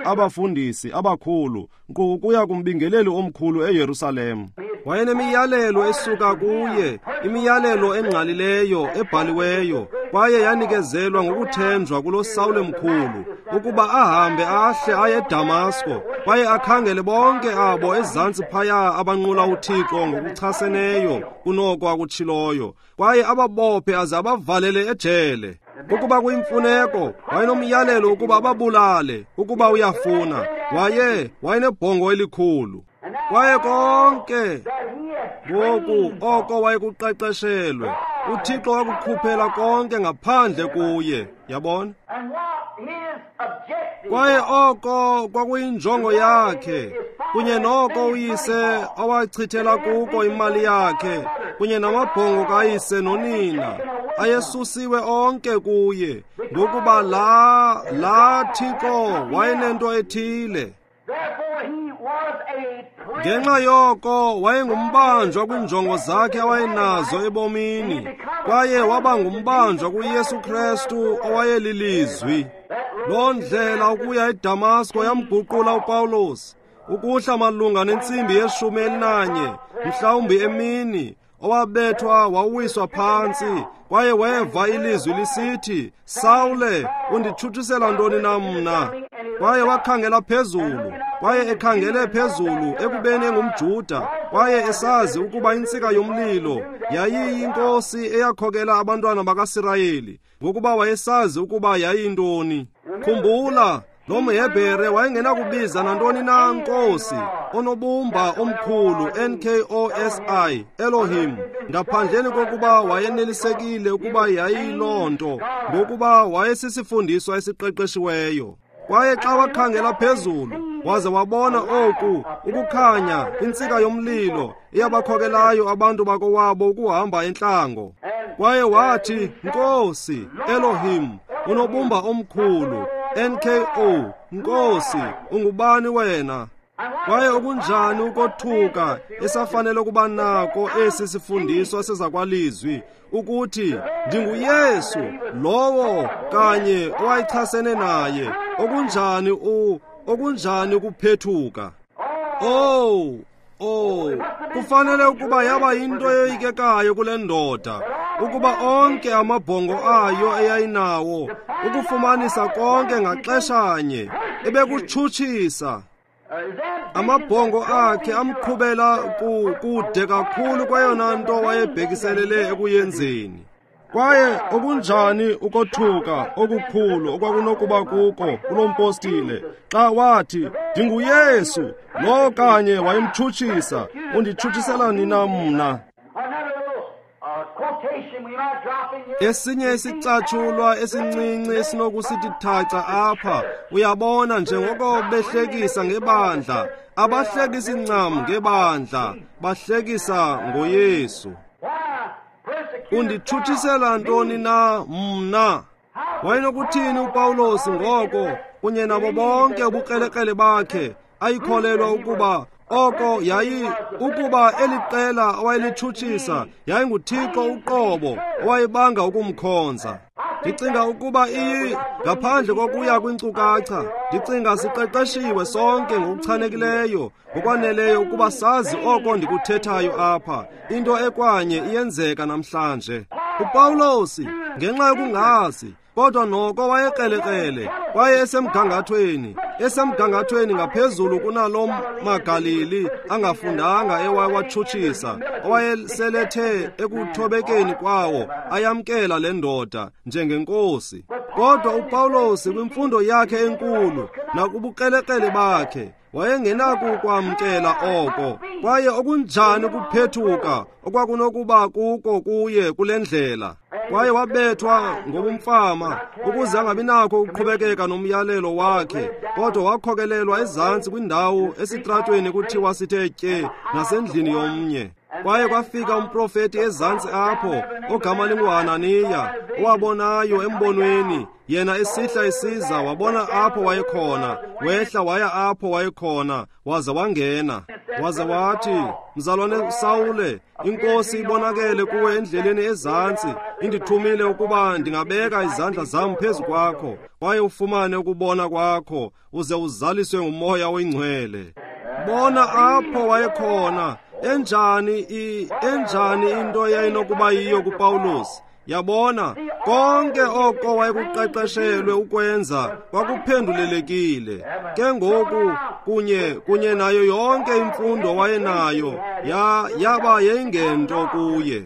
abafundisi abakhulu, nkqu ukuya kumbingeleli omkhulu eYerusalem. Wayenemiyalelo esuka kuye, imiyalelo engqalileyo ebhaliweyo, kwaye yanikezelwa ngokuthenjwa kulo Sawule mkhulu, ukuba ahambe ahle aye eDamasko, kwaye akhangele bonke abo ezantsi phaya abanqula uThixo ngokuchaseneyo kunoko akutshiloyo, kwaye ababophe aze abavalele ejele. Ukuba kuyimfuneko, wayenomyalelo ukuba ababulale, ukuba uyafuna. Waye wayenebhongo elikhulu. Kwaye konke ngoku oko wayekuqeqeshelwe, uThixo wakukhuphela konke ngaphandle kuye, yabona? Kwaye oko kwakuyinjongo yakhe, kunye noko uyise awachithela kuko imali yakhe, kunye namabhongo kayise nonina, ayesusiwe onke kuye, ngokuba la la Thixo wayenento ethile. Ngenxa yoko wayengumbanjwa kwiinjongo zakhe awayenazo ebomini, kwaye waba ngumbanjwa kuYesu Kristu owayelilizwi. Loo ndlela ukuya eDamasko yamguqula uPawulos, ukuhla malunga nentsimbi yeshumi elinanye, mhlawumbi emini, owabethwa wawiswa phantsi, kwaye weva ilizwi lisithi, Sawule, unditshutshisela ntoni na mna? Kwaye wakhangela phezulu, kwaye ekhangele phezulu ekubeni engumJuda, kwaye esazi ukuba intsika yomlilo yayiyinkosi eyakhokela abantwana bakaSirayeli, ngokuba wayesazi ukuba yayintoni. Khumbula, lo mHebhere wayengenakubiza nantoni na Nkosi, onobumba omkhulu N K O S I, Elohim, ngaphandleni kokuba wayenelisekile ukuba yayiloo nto, ngokuba wayesisifundiswa esiqeqeshiweyo. Kwaye xa wakhangela phezulu, waze wabona oku, ukukhanya, intsika yomlilo, iyabakhokelayo abantu bakowabo ukuhamba entlango. Kwaye wathi, Nkosi, Elohim, unobumba omkhulu, N K O, Nkosi, ungubani wena? Kwaye okunjani ukothuka esafanele ukuba nako esi sifundiswa sezakwalizwi, ukuthi ndinguYesu lowo kanye owayechasene naye. Okunjani u okunjani ukuphethuka. Oh, oh, kufanele ukuba yaba yinto eyoyikekayo kule ndoda, ukuba onke amabhongo ayo eyayinawo ukufumanisa konke ngaxeshanye ebekutshutshisa. Amabhongo akhe amqhubela kude kakhulu kweyona nto wayebhekiselele ekuyenzeni. Kwaye okunjani ukothuka okukhulu okwakunokuba kuko kulo mpostile xa wathi, ndinguYesu lo kanye wayemtshutshisa, unditshutshisela nina mna? Esinye isicatshulwa esincinci esinokusithi thaca apha, uyabona, njengoko behlekisa ngebandla, abahlekisi ncam ngebandla, bahlekisa ngoYesu. Unditshutshisela ntoni na mna? Wayenokuthini uPawulos ngoko kunye nabo bonke ubukrelekrele bakhe ayikholelwa ukuba oko yayi ukuba eliqela owayelitshutshisa yayinguThixo uqobo owayebanga ukumkhonza. Ndicinga ukuba iyi ngaphandle kokuya kwinkcukacha, ndicinga siqeqeshiwe sonke ngokuchanekileyo ngokwaneleyo ukuba sazi oko ndikuthethayo apha. Into ekwanye iyenzeka namhlanje. uPawulos ngenxa yokungazi, kodwa noko wayekrelekrele, kwaye esemgangathweni, esemgangathweni ngaphezulu kunalo maGalili angafundanga ewawatshutshisa, owayeselethe ekuthobekeni kwawo ayamkela le ndoda njengenkosi. Kodwa uPawulos kwimfundo yakhe enkulu nakubukrelekrele bakhe wayengenakukwamkela oko. Kwaye okunjani ukuphethuka okwakunokuba kuko kuye kule ndlela. Kwaye wabethwa ngobumfama ukuze angabi nakho ukuqhubekeka nomyalelo wakhe, kodwa wakhokelelwa ezantsi kwindawo esitratweni kuthiwa sithe tye nasendlini yomnye. Kwaye kwafika umprofeti ezantsi apho ogama linguHananiya, owabonayo embonweni, yena esihla esiza, wabona apho wayekhona, wehla waya apho wayekhona, waze wangena. Waze wathi, mzalwane Sawule, iNkosi ibonakele kuwe endleleni ezantsi, indithumile ukuba ndingabeka izandla zam phezu kwakho, kwaye ufumane ukubona kwakho, uze uzaliswe nguMoya oyiNgcwele. Bona apho wayekhona. Enjani i enjani into eyayinokuba yiyo kuPawulos. Yabona, konke oko wayekuqeqeshelwe ukwenza kwakuphendulelekile. Ke ngoku kunye kunye nayo yonke imfundo wayenayo ya yaba yayingento kuye.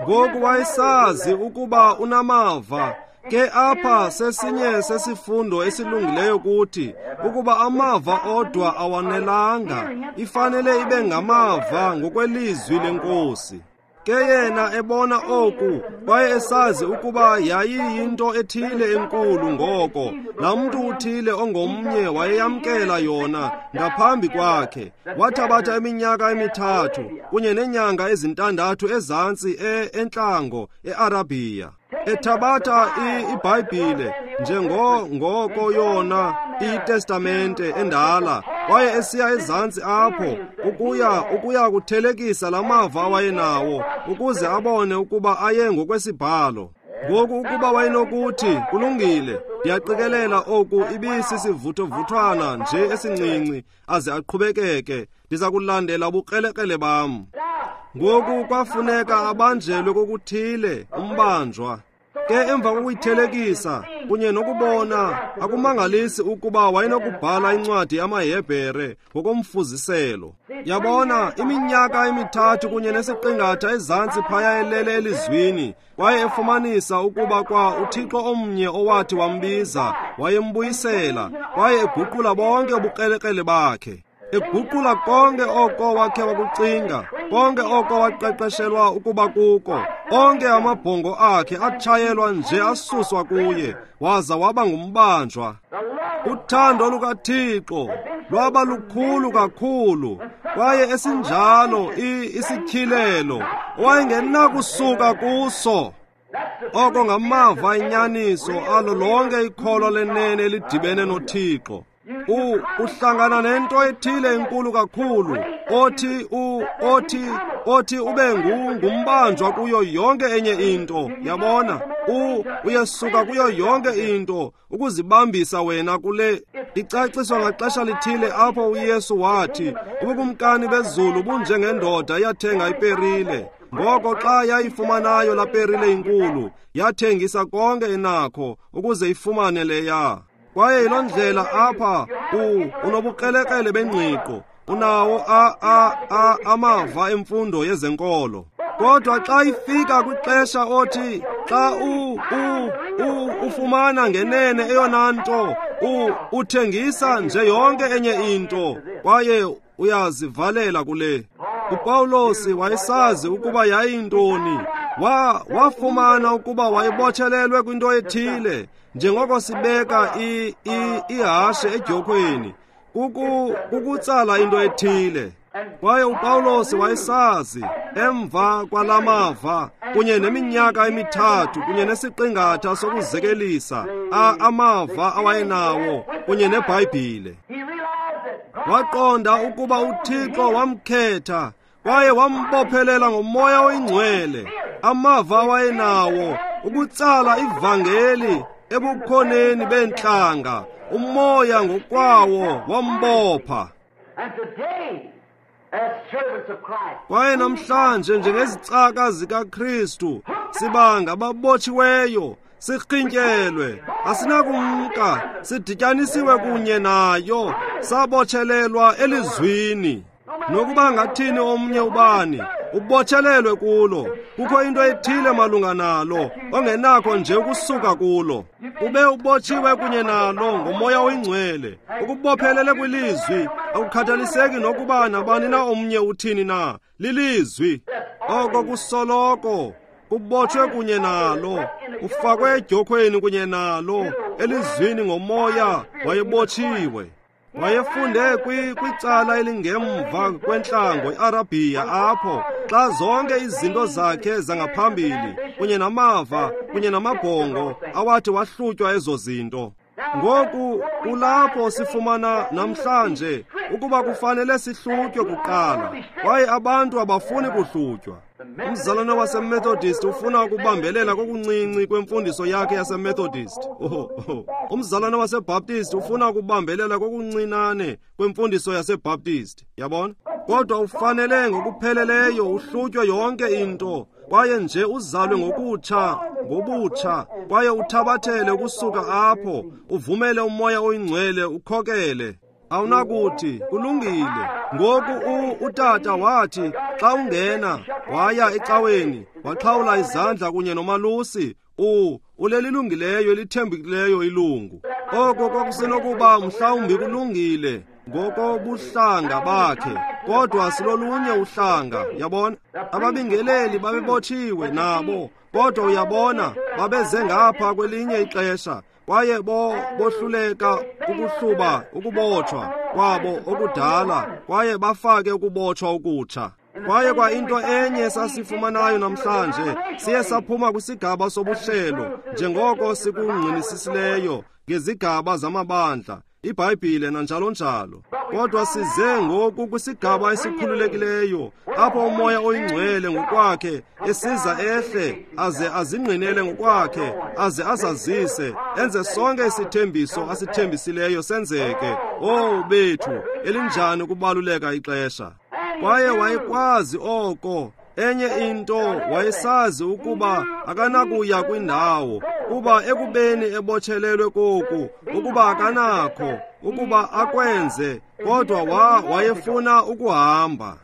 Ngoku wayesazi ukuba unamava. Ke apha sesinye sesifundo esilungileyo kuthi ukuba amava odwa awanelanga, ifanele ibe ngamava ngokwelizwi lenkosi. Ke yena ebona oku kwaye esazi ukuba yayiyinto ethile enkulu, ngoko laa mntu uthile ongomnye wayeyamkela yona ngaphambi kwakhe. Wathabatha iminyaka emithathu kunye neenyanga ezintandathu ezantsi entlango eArabhiya, ethabatha iBhayibhile njengoko yona iTestamente endala, Kwaye esiya ezantsi apho ukuya ukuya kuthelekisa lamava awayenawo ukuze abone ukuba aye ngokwesibhalo. Ngoku ukuba wayenokuthi kulungile, ndiyaqikelela oku ibisisivuthwavuthwana nje esincinci aze aqhubekeke, ndiza kulandela ubukrelekrele bam. Ngoku kwafuneka abanjelwe kokuthile umbanjwa. Ke emva kokuyithelekisa kunye nokubona, akumangalisi ukuba wayenokubhala incwadi yamaHebhere ngokomfuziselo. Yabona, iminyaka emithathu kunye nesiqingatha ezantsi phaya elele elizwini, kwaye efumanisa ukuba kwa uThixo omnye owathi wambiza wayembuyisela, kwaye eguqula bonke ubukrelekrele bakhe, eguqula konke oko wakhe wakucinga, konke oko waqeqeshelwa ukuba kuko, onke amabhongo akhe atshayelwa nje asuswa kuye, waza waba ngumbanjwa. Uthando lukaThixo lwaba lukhulu kakhulu, kwaye esinjalo isityhilelo owayengenakusuka kuso. Oko ngamava inyaniso alo lonke ikholwa lenene elidibene noThixo. U uhlangana nento ethile enkulu kakhulu othi u othi othi ube ngumbanjwa kuyo yonke enye into. Yabona, u uyesuka kuyo yonke into ukuzibambisa wena kule. Icaciswa ngaxesha lithile apho uYesu wathi ubukumkani bezulu bunjengendoda yathenga iperile. Ngoko xa yayifumanayo la perile inkulu, yathengisa konke enakho ukuze ifumane leya. Kwaye yiloo ndlela apha unobukrelekrele bengqiqo, unawo a a a amava emfundo yezenkolo. Kodwa xa ifika kwixesha othi xa u u u ufumana ngenene eyona nto, u uthengisa nje yonke enye into kwaye uyazivalela kule. uPawulos wayesazi ukuba yayintoni. Wa wafumana ukuba wayebotshelelwe kwinto ethile, njengoko sibeka i i ihashe edyokhweni, kuku kukutsala into ethile. Kwaye uPawulos wayesazi emva kwalamava kunye neminyaka emithathu kunye nesiqingatha sokuzekelisa amava awayenawo kunye neBhayibhile. Waqonda ukuba uThixo wamkhetha kwaye wambophelela ngomoya oyingcwele, amava awayenawo ukutsala ivangeli ebukhoneni bentlanga. Umoya ngokwawo wambopha. Kwaye namhlanje njengezicaka zikaKristu siba ngababotshiweyo, sirhintyelwe, asinakumka, sidityanisiwe kunye nayo, sabotshelelwa elizwini. Nokuba ngathini omnye ubani, ubotshelelwe kulo. Kukho into ethile malunga nalo ongenakho nje ukusuka kulo. Ube ubotshiwe kunye nalo ngomoya oyingcwele, ukubophelele kwilizwi. Akukhathaliseki nokuba nabani na omnye uthini na, lilizwi. Oko kusoloko kubotshwe kunye nalo, ufakwe edyokhweni kunye nalo, elizwini ngomoya wayebotshiwe. Wayefunde kwicala elingemva kwentlango iArabhiya, apho xa zonke izinto zakhe zangaphambili kunye namava kunye namabhongo awathi wahlutywa ezo zinto. Ngoku kulapho sifumana namhlanje ukuba kufanele sihlutywe kuqala, kwaye abantu abafuni kuhlutywa. Umzalwane waseMethodist ufuna ukubambelela kokuncinci kwemfundiso yakhe yaseMethodist. Oh, oh. Umzalwane waseBaptist ufuna ukubambelela kokuncinane kwemfundiso yaseBaptist. Yabona? Kodwa ufanele ngokupheleleyo uhlutywe yonke into, kwaye nje uzalwe ngokutsha, ngobutsha, kwaye uthabathele ukusuka apho, uvumele umoya oyingcwele ukhokele. Awunakuthi kulungile. Ngoku utata wathi xa ungena waya ecaweni waxhawula izandla kunye nomalusi, u ulelilungileyo elithembekileyo ilungu. Oko kwakusenokuba mhlawumbi kulungile ngokobuhlanga bakhe, kodwa silolunye uhlanga. Yabona, ababingeleli babebotshiwe nabo, kodwa uyabona babeze ngapha kwelinye ixesha kwaye bo bohluleka ukuhluba ukubotshwa kwabo okudala, kwaye bafake ukubotshwa okutsha. Kwaye kwa into enye sasifumanayo namhlanje, siye saphuma kwisigaba sobuhlelo njengoko sikungqinisisileyo ngezigaba zamabandla. iBhayibhile nanjalo njalo. Kodwa size ngoku kwisigaba esikhululekileyo apho uMoya oyiNgcwele ngokwakhe esiza ehle aze azingqinele ngokwakhe aze azazise enze sonke isithembiso asithembisileyo senzeke. Oh bethu, elinjani ukubaluleka ixesha! Kwaye wayekwazi oko. Enye into wayesazi ukuba akanakuya kwindawo kuba ekubeni ebotshelelwe koku ukuba akanakho ukuba akwenze, kodwa wa wayefuna ukuhamba.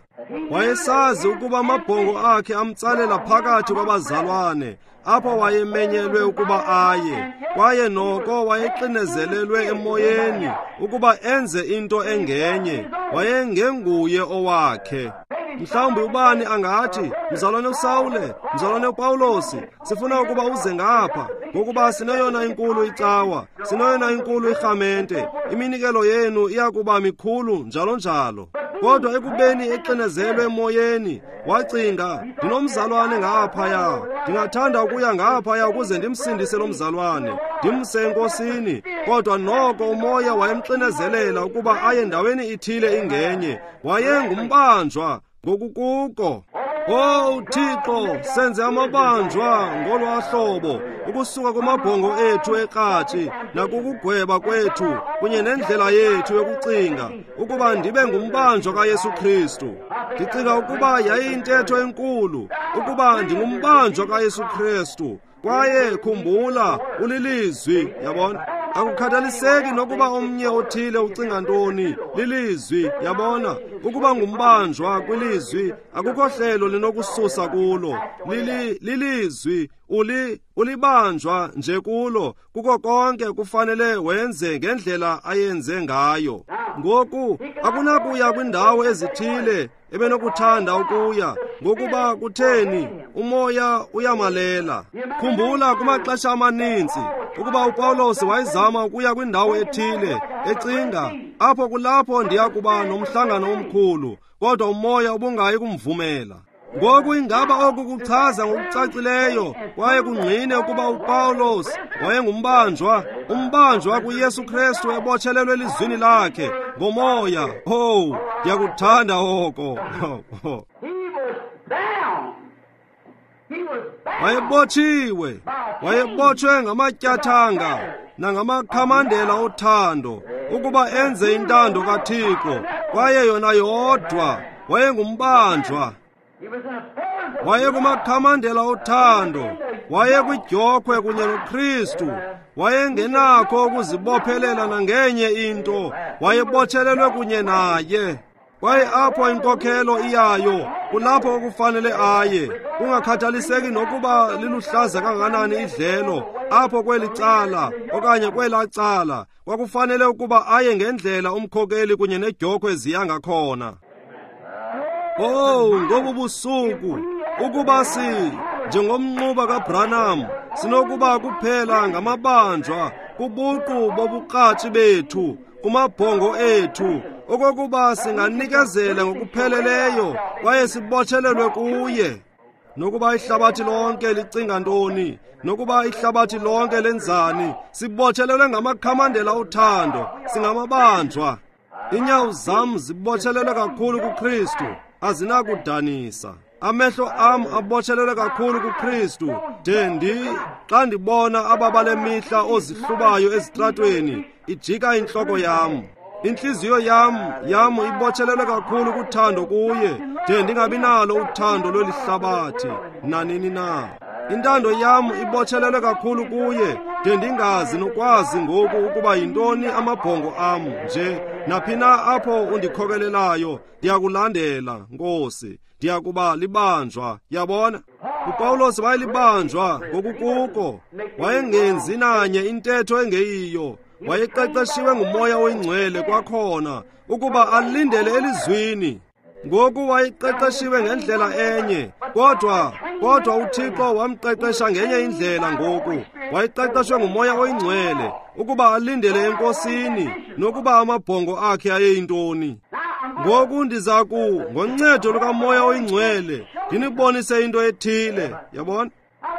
Wayesazi ukuba amabhongo akhe amtsalela phakathi kwabazalwane apho wayemenyelwe ukuba aye, kwaye noko wayexinezelelwe emoyeni ukuba enze into engenye. Wayengenguye owakhe. Mhlawumbi ubani angathi, mzalwane uSawule, mzalwane uPawulosi, sifuna ukuba uze ngapha, ngokuba sineyona inkulu icawa, sineyona inkulu irhamente, iminikelo yenu iyakuba mikhulu njalo njalo. Kodwa ekubeni exinezelwe emoyeni, wacinga, ndinomzalwane ngaphaya, ndingathanda ukuya ngaphaya ukuze ndimsindise lo mzalwane, ndimse enkosini. Kodwa noko umoya wayemxinezelela ukuba aye ndaweni ithile ingenye. Wayengumbanjwa ngokukuko. Oh Thixo, senze amabanjwa ngolwa hlobo ukusuka kumabhongo ethu ekratshi nakukugweba kwethu kunye nendlela yethu yokucinga ukuba ndibe ngumbanjwa kaYesu Kristu. Ndicinga ukuba yayiyintetho enkulu ukuba ndingumbanjwa kaYesu Kristu. Kwaye khumbula, ulilizwi, yabona. Akukhathaliseki nokuba omnye othile ucinga ntoni, lilizwi, yabona. Ukuba ngumbanjwa kwilizwi akukho hlelo linokususa kulo. Lili lilizwi, uli ulibanjwa nje kulo. Kuko konke kufanele wenze ngendlela ayenze ngayo. Ngoku akunakuya kwindawo ezithile ebenokuthanda ukuya, ngokuba kutheni? Umoya uyamalela. Khumbula kumaxesha amaninzi ukuba uPawulos wayezama ukuya kwindawo ethile ecinga, apho kulapho ndiya kuba nomhlangano omkhulu, kodwa umoya ubungayi kumvumela. Ngoku ingaba oku kuchaza ngokucacileyo kwaye kungqine ukuba uPawulos wayengumbanjwa, umbanjwa kuYesu Kristu ebotshelelwe elizwini lakhe ngomoya. Oh, ndiyakuthanda oko. Wayebotshiwe, wayebotshwe ngamatyathanga nangamakhamandela othando ukuba enze intando kaThixo, kwaye yona yodwa. Wayengumbanjwa. Wayekumakhamandela othando, wayekwidyokwe kunye noKristu, wayengenakho ukuzibophelela nangenye into, wayebotshelelwe kunye naye. Kwaye apho inkokhelo iyayo, kulapho okufanele aye, kungakhathaliseki nokuba liluhlaza kangakanani idlelo, apho kweli cala okanye kwelaa cala, kwakufanele ukuba aye ngendlela umkhokeli kunye nedyokhwe ziya ngakhona. Oh, ngobu busuku, ukuba si njengomnquba kaBranham, sinokuba kuphela ngamabanjwa kubuqu bobukratshi bethu, kumabhongo ethu, okokuba singanikezela ngokupheleleyo kwaye sibotshelelwe kuye. Nokuba ihlabathi lonke licinga ntoni, nokuba ihlabathi lonke lenzani, sibotshelelwe ngamakhamandela othando, singamabanjwa. Inyawo zam zibotshelelwe kakhulu kuKristu, azinakudanisa. Amehlo am abotshelelwe kakhulu kuKristu, de ndi xa ndibona ababale mihla ozihlubayo ezitratweni, ijika intloko yam. Intliziyo yam yam ibotshelelwe kakhulu kuthando kuye, de ndingabi nalo uthando lweli hlabathi nanini na. Intando yam ibotshelelwe kakhulu kuye, de ndingazi nokwazi ngoku ukuba yintoni amabhongo am nje. Naphi na apho undikhokelelayo, ndiyakulandela, Nkosi. Ndiyakuba libanjwa, yabona. uPawulos wayelibanjwa ngokukuko, wayengenzi nanye intetho engeyiyo. Wayeqeqeshiwe nguMoya oyiNgcwele kwakhona ukuba alindele elizwini. Ngoku wayeqeqeshiwe ngendlela enye, kodwa kodwa uThixo wamqeqesha ngenye indlela. Ngoku wayeqeqeshwe nguMoya oyiNgcwele ukuba alindele enkosini, nokuba amabhongo akhe ayeyintoni. Ngoku ndiza ku ngoncedo lukaMoya oyiNgcwele ndinibonise into ethile, yabona.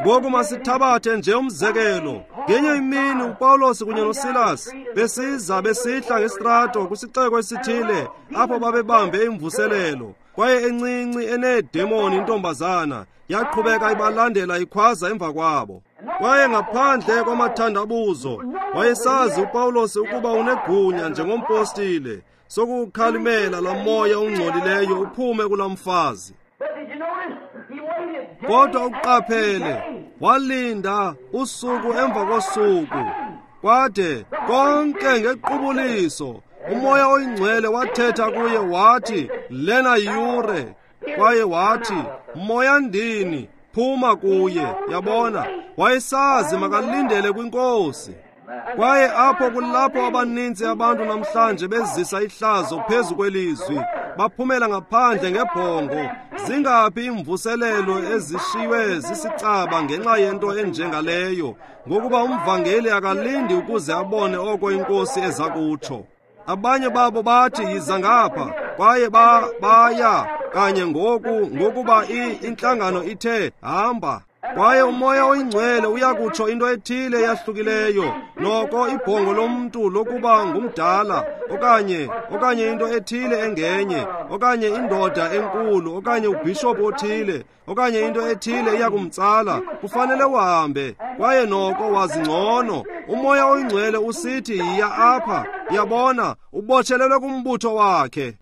Ngoku masithabathe nje umzekelo. Ngenye imini uPawulos kunye noSilas besiza besihla ngesitrato kwisixeko esithile apho babebambe imvuselelo. Kwaye encinci eneedemoni intombazana yaqhubeka ibalandela ikhwaza emva kwabo. Kwaye ngaphandle kwamathandabuzo wayesazi uPawulos ukuba unegunya njengompostile sokukhalimela laa moya ungcolileyo uphume kulaa mfazi. Kodwa uqaphele, walinda usuku emva kosuku, kwade konke ngequbuliso uMoya oyiNgcwele wathetha kuye wathi, lena yure. Kwaye wathi, moya ndini, phuma kuye. Yabona, wayesazi makalindele kwinkosi. Kwaye apho kulapho abaninzi abantu namhlanje bezisa ihlazo phezu kwelizwi, baphumela ngaphandle ngebhongo. Zingaphi imvuselelo ezishiywe zisicaba ngenxa yento enjengaleyo, ngokuba umvangeli akalindi ukuze abone oko inkosi eza kutsho. Abanye babo bathi, yiza ngapha, kwaye ba baya kanye ngoku, ngokuba intlangano ithe hamba. Kwaye uMoya oyiNgcwele uyakutsho into ethile eyahlukileyo, noko ibhongo lomntu lokuba ngumdala, okanye okanye into ethile engenye, okanye indoda enkulu, okanye ubhishophu othile, okanye into ethile iyakumtsala, kufanele uhambe. Kwaye noko wazi ngcono. UMoya oyiNgcwele usithi yiya apha. Yabona, ubotshelelwe kumbutho wakhe.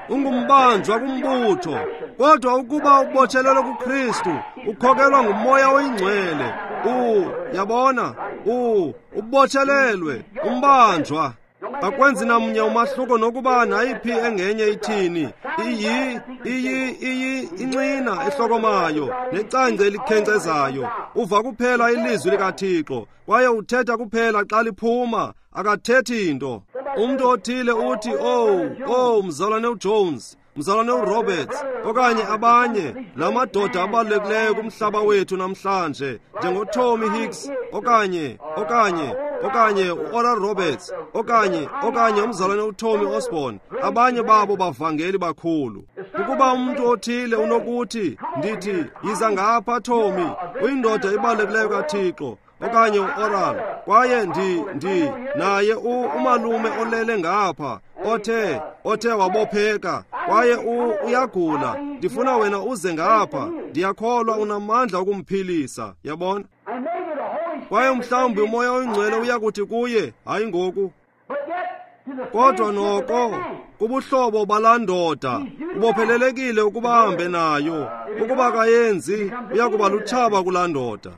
Ungumbanjwa kumbutho. Kodwa ukuba ubotshelelwe kuKristu, ukhokelwa nguMoya oyiNgcwele. U, yabona, u, ubotshelelwe, umbanjwa. Akwenzi namnye umahluko nokuba nayiphi engenye ithini. Iyi, iyi, iyi, inxina ehlokomayo, necangce elikhenkcezayo. Uva kuphela ilizwi likaThixo, kwaye uthetha kuphela xa liphuma, akathethi into. Umntu othile uthi, oh, oh, mzalwane uJones, mzalwane uRoberts, okanye abanye, la madoda abalulekileyo kumhlaba wethu namhlanje, njengoTommy Hicks, okanye, okanye, okanye uOral Roberts, okanye, okanye umzalwane uTommy Osborne, abanye babo bavangeli bakhulu. Ukuba umntu othile unokuthi, ndithi, yiza ngapha Tommy, uyindoda ebalulekileyo kaThixo, okanye uOral, kwaye ndi, ndi, naye umalume olele ngapha, othe, othe wabopheka, kwaye u, uyagula, ndifuna wena uze ngapha, ndiyakholwa unamandla okumphilisa. Yabona? Kwaye mhlawumbi uMoya oyiNgcwele uyakuthi kuye, hayi ngoku. Kodwa noko, kubuhlobo balaa ndoda, ubophelelekile ukuba ahambe nayo. Ukuba kayenzi, uyakuba lutshaba kulaa ndoda.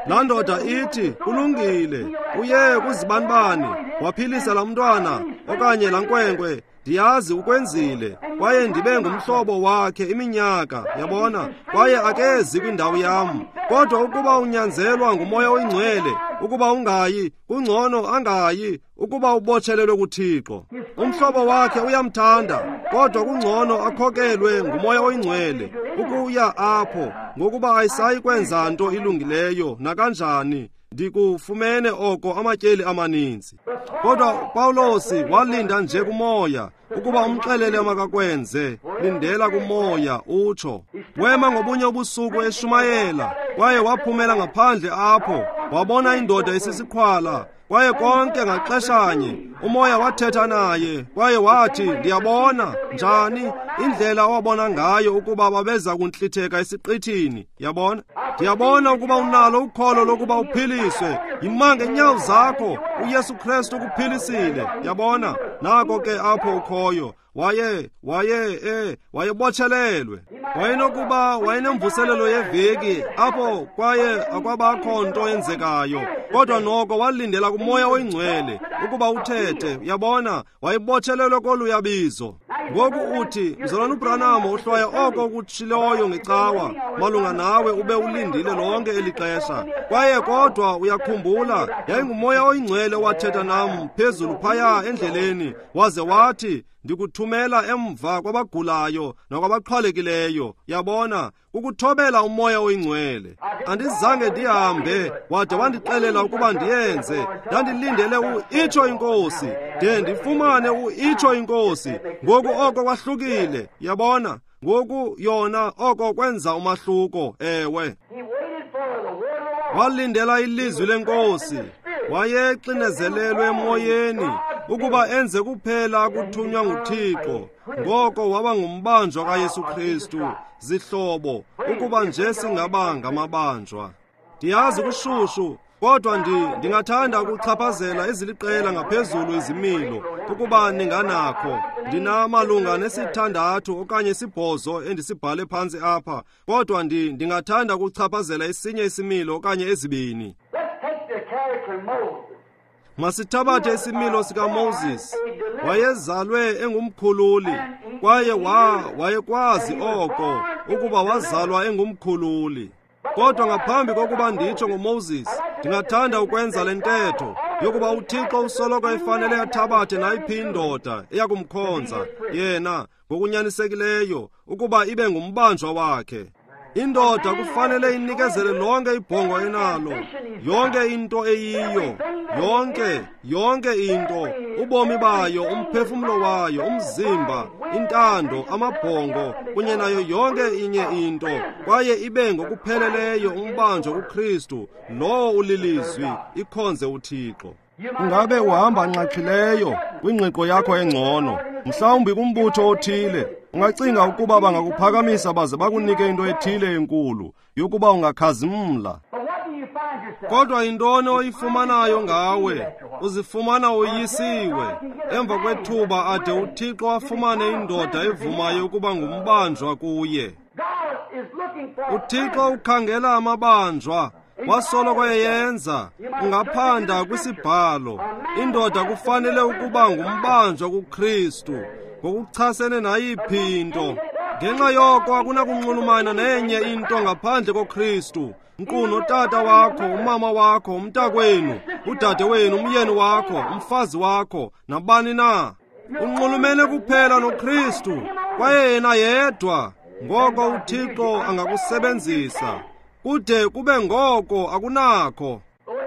Laa ndoda ithi, kulungile, uye kuzibanibani, waphilisa laa mntwana, okanye laa nkwenkwe, ndiyazi ukwenzile, kwaye ndibe ngumhlobo wakhe iminyaka, yabona, kwaye akezi kwindawo yam. Kodwa ukuba unyanzelwa nguMoya oyiNgcwele, ukuba ungayi, kungcono angayi, ukuba ubotshelelwe kuThixo. Umhlobo wakhe uyamthanda, kodwa kungcono akhokelwe nguMoya oyiNgcwele ukuya apho, ngokuba ayisayi kwenza nto ilungileyo nakanjani. Ndikufumene oko amatyeli amaninzi. Kodwa uPawulos walinda nje kuMoya ukuba umxelele amakakwenze. Lindela kuMoya, utsho. Wema ngobunye ubusuku eshumayela, kwaye waphumela ngaphandle apho, wabona indoda esisiqhwala, kwaye konke ngaxeshanye uMoya wathetha naye, kwaye wathi, ndiyabona njani indlela awabona ngayo ukuba babeza kuntlitheka esiqithini. Yabona, ndiyabona ukuba unalo ukholo lokuba uphiliswe. Yima ngeenyawo zakho, uYesu Kristu ukuphilisile. Yabona, nako ke apho ukhoyo. Waye, waye, eh, wayebotshelelwe. Wayenokuba wayenemvuselelo yeveki apho kwaye akwabakho nto yenzekayo, kodwa noko walindela kuMoya oyiNgcwele ukuba uthethe. Yabona, wayebotshelelwe koluyabizo. Ngoku uthi, mzalwana uBranham, uhlwaya oko kutshiloyo ngecawa malunga nawe ube ulindile lonke eli xesha. Kwaye kodwa uyakhumbula, yayinguMoya oyiNgcwele owathetha nam phezulu phaya endleleni, waze wathi, ndikuthumela emva kwabagulayo nakwabaqhwalekileyo. Yabona, kukuthobela uMoya oyiNgcwele. Andizange ndihambe wade wandixelela ukuba ndiyenze. Ndandilindele u-itsho inkosi, de ndifumane u-itsho inkosi. Ngoku oko kwahlukile. Yabona, ngoku yona oko kwenza umahluko. Ewe. Walindela ilizwi lenkosi. Wayexinezelelwe emoyeni ukuba enze kuphela akuthunywa nguThixo. Ngoko waba ngumbanjwa kaYesu Kristu. Zihlobo, ukuba nje singaba ngamabanjwa. Ndiyazi kushushu, kodwa ndi ndingathanda ukuchaphazela eziliqela ngaphezulu izimilo ukuba ninganakho. Ndinamalunga nesithandathu okanye isibhozo endisibhale phantsi apha, kodwa ndi ndingathanda ukuchaphazela esinye isimilo okanye ezibini. Masithabathe isimilo sikaMoses. Wayezalwe engumkhululi, kwaye wa wayekwazi oko ukuba wazalwa engumkhululi. Kodwa ngaphambi kokuba nditsho ngoMoses, ndingathanda ukwenza le ntetho yokuba uThixo usoloko efanele athabathe nayiphi indoda eyakumkhonza yena ngokunyanisekileyo ukuba ibe ngumbanjwa wakhe. Indoda kufanele inikezele lonke ibhongo enalo, yonke into eyiyo, yonke, yonke into, ubomi bayo, umphefumlo wayo, umzimba, intando, amabhongo, kunye nayo yonke inye into, kwaye ibe ngokupheleleyo umbanjwa kuKristu, lowo ulilizwi, ikhonze uThixo. Ungabe uhamba nxaxhileyo kwingqiqo yakho engcono, mhlawumbi kumbutho othile, ungacinga ukuba bangakuphakamisa baze bakunike into ethile enkulu yokuba ungakhazimla. Kodwa yintoni oyifumanayo ngawe? Uzifumana uyisiwe. Emva kwethuba ade uThixo afumane indoda evumayo ukuba ngumbanjwa kuye. uThixo ukhangela amabanjwa, wasoloko eyenza. Ungaphanda kwisibhalo, indoda kufanele ukuba ngumbanjwa kuKristu ngokuchasene nayiphi into. Ngenxa yoko akunakunxulumana nenye into ngaphandle koKristu. Nkqu notata wakho, umama wakho, umntakwenu, udade wenu, umyeni wakho, umfazi wakho, nabani na. Unxulumene kuphela noKristu, kwaye yena yedwa. Ngoko uThixo angakusebenzisa kude kube ngoko akunakho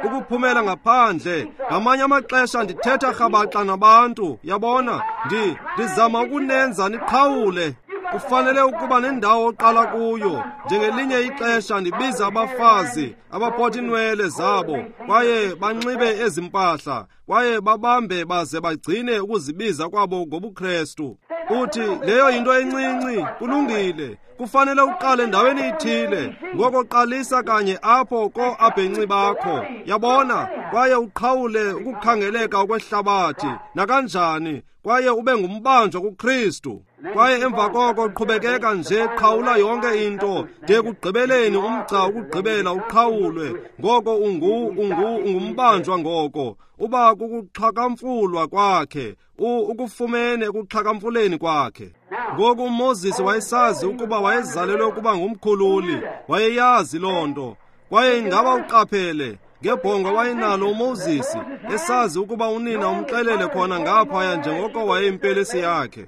ukuphumela ngaphandle. Ngamanye amaxesha ndithetha rhabaxa nabantu, yabona, ndi ndizama ukunenza niqhawule. Kufanele ukuba nendawo oqala kuyo. Njengelinye ixesha ndibiza abafazi abaphotha iinwele zabo kwaye banxibe ezi mpahla kwaye babambe baze bagcine ukuzibiza kwabo ngobuKrestu. Uthi leyo yinto encinci, kulungile. Kufanele uqale endaweni ithile. Ngoko qalisa kanye apho ko-abhenci bakho, yabona, kwaye uqhawule ukukhangeleka okwehlabathi nakanjani, kwaye ube ngumbanjwa kuKristu. Kwaye emva koko qhubekeka nje, qhawula yonke into de kugqibeleni umgca ukugqibela uqhawulwe. Ngoko ungu ungu ungumbanjwa ngoko uba kukuxhakamfulwa kwakhe, ukufumene ekuxhakamfuleni kwakhe. Ngoku uMoses wayesazi ukuba wayezalelwe ukuba ngumkhululi, wayeyazi loo nto. Kwaye ingaba uqaphele ngebhongo wayenalo uMoses, esazi ukuba unina umxelele khona ngaphaya njengoko wayeyimpelesi yakhe.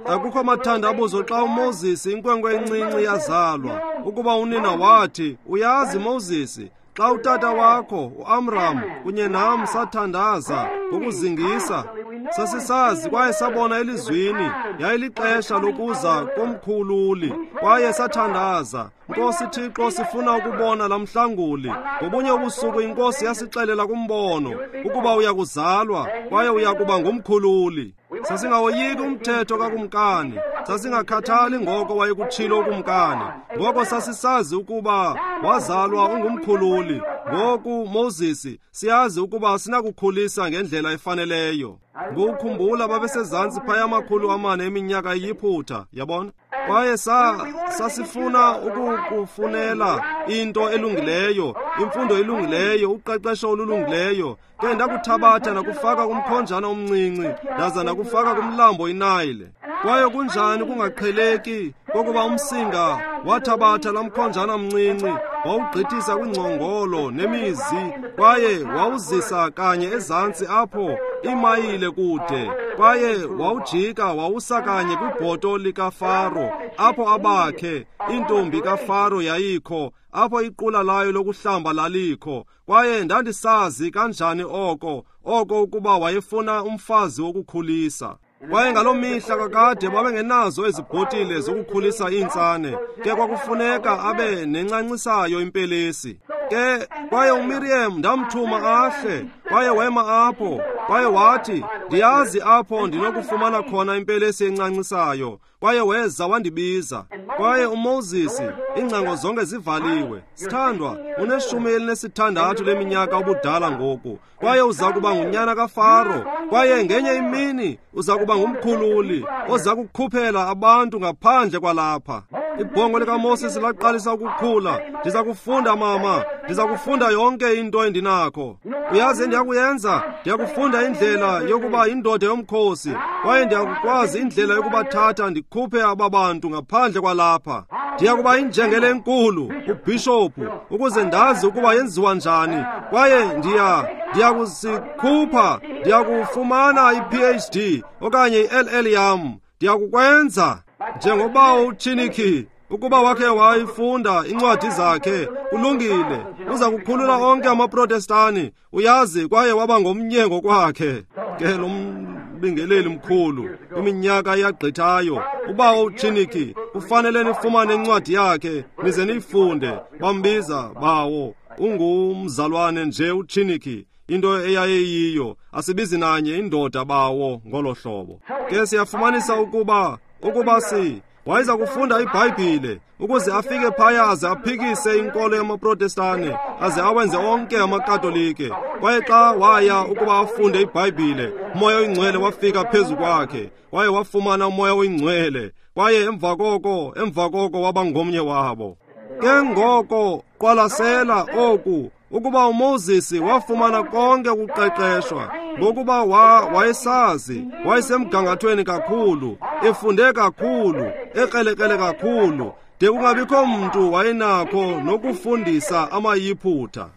Akukho mathandabuzo xa uMoses inkwenkwe encinci yazalwa, ukuba unina wathi, uyazi Moses, xa utata wakho uAmram kunye nam sathandaza ngokuzingisa, sasisazi kwaye sabona elizwini yayilixesha lokuza komkhululi, kwaye sathandaza, Nkosi Thixo, sifuna ukubona la mhlanguli. Ngobunye ubusuku inkosi yasixelela kumbono ukuba uyakuzalwa kwaye uyakuba ngumkhululi. Sasingawoyiki umthetho kakumkani, sasingakhathali ngoko wayekutshilo ukumkani. Ngoko sasisazi ukuba wazalwa ungumkhululi. Ngoku Moses, siyazi ukuba sinakukhulisa ngendlela efaneleyo. Ngokukhumbula babesezantsi phaya amakhulu amane eminyaka eYiphutha, yabona? Kwaye sa sasifuna ukukufunela into elungileyo, imfundo elungileyo, uqeqesho olulungileyo. Ke ndakuthabatha nakufaka kumkhonjana omncinci, ndaza nakufaka kumlambo iNayile. Kwaye kunjani kungaqheleki kokuba umsinga wathabatha laa mkhonjana mncinci, wawugqithisa kwingcongolo nemizi, kwaye wawuzisa kanye ezantsi apho imayile kude, kwaye wawujika wawusa kanye kwibhoto likaFaro, apho abakhe intombi kaFaro yayikho, apho iqula layo lokuhlamba lalikho. Kwaye ndandisazi kanjani oko oko ukuba wayefuna umfazi wokukhulisa. Kwaye ngaloo mihla kakade babengenazo ezi bhotile zokukhulisa iintsane, ke kwakufuneka abe nencancisayo impelesi. Ke kwaye uMiriam ndamthuma ahle, kwaye wema apho, kwaye wathi, ndiyazi apho ndinokufumana khona impelesi encancisayo. Kwaye weza wandibiza. Kwaye uMoses, iingcango zonke zivaliwe. Sithandwa, uneshumi elinesithandathu leminyaka ubudala ngoku, kwaye uza kuba ngunyana kaFaro, kwaye ngenye imini uza kuba ngumkhululi oza kukhuphela abantu ngaphandle kwalapha. Ibhongo likaMoses laqalisa ukukhula. Ndiza kufunda mama, ndiza kufunda yonke into endinakho. Uyazi endiyakuyenza? Ndiyakufunda indlela yokuba indoda yomkhosi, kwaye ndiyakukwazi indlela yokubathatha ndikhuphe aba bantu ngaphandle kwalapha. Ndiyakuba injengele enkulu, ubhishophu, ukuze ndazi ukuba yenziwa njani. Kwaye ndiya ndiyakusikhupha, ndiyakufumana i-P H D okanye i-L L yam. Ndiyakukwenza njengoba uChiniki ukuba wakhe wayifunda incwadi zakhe, kulungile, uza kukhulula onke amaProtestani, uyazi, kwaye waba ngomnye ngokwakhe. Ke lo mbingeleli mkhulu kwiminyaka eyagqithayo, ubawo uChiniki, kufanele nifumane incwadi yakhe nize niyifunde. Bambiza bawo, ungumzalwane nje uChiniki, into eyayiyiyo, asibizi nanye indoda bawo ngolo hlobo. Ke siyafumanisa ukuba ukuba si wayeza kufunda iBhayibhile ukuze afike phaya aze aphikise inkolo yamaProtestane aze awenze onke amaKatolike. Kwaye xa waya ukuba afunde iBhayibhile, uMoya oyiNgcwele wafika phezu kwakhe, kwaye wafumana uMoya oyiNgcwele, kwaye emva koko emva koko waba ngomnye wabo. Ke ngoko qwalasela oku, ukuba uMoses wafumana konke ukuqeqeshwa, ngokuba wa wayesazi, wayesemgangathweni kakhulu, efunde kakhulu, ekrelekrele kakhulu, de kungabikho mntu wayenakho nokufundisa amaYiphutha,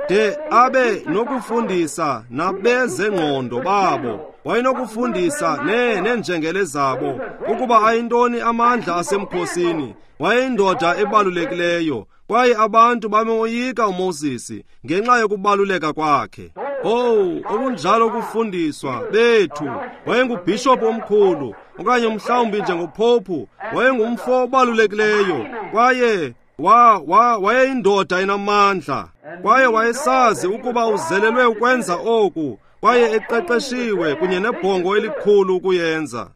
de abe nokufundisa nabezengqondo babo, wayenokufundisa ne neenjengele zabo ukuba ayintoni amandla asemkhosini. Wayeyindoda ebalulekileyo, kwaye abantu bamoyika uMoses ngenxa yokubaluleka kwakhe. Oh, okunjalo ukufundiswa bethu. Wayengubhishophu omkhulu, okanye mhlawumbi njengophophu, wayengumfo obalulekileyo, kwaye wa wa wayeyindoda enamandla, kwaye wayesazi ukuba uzelelwe ukwenza oku, kwaye eqeqeshiwe kunye nebhongo elikhulu ukuyenza.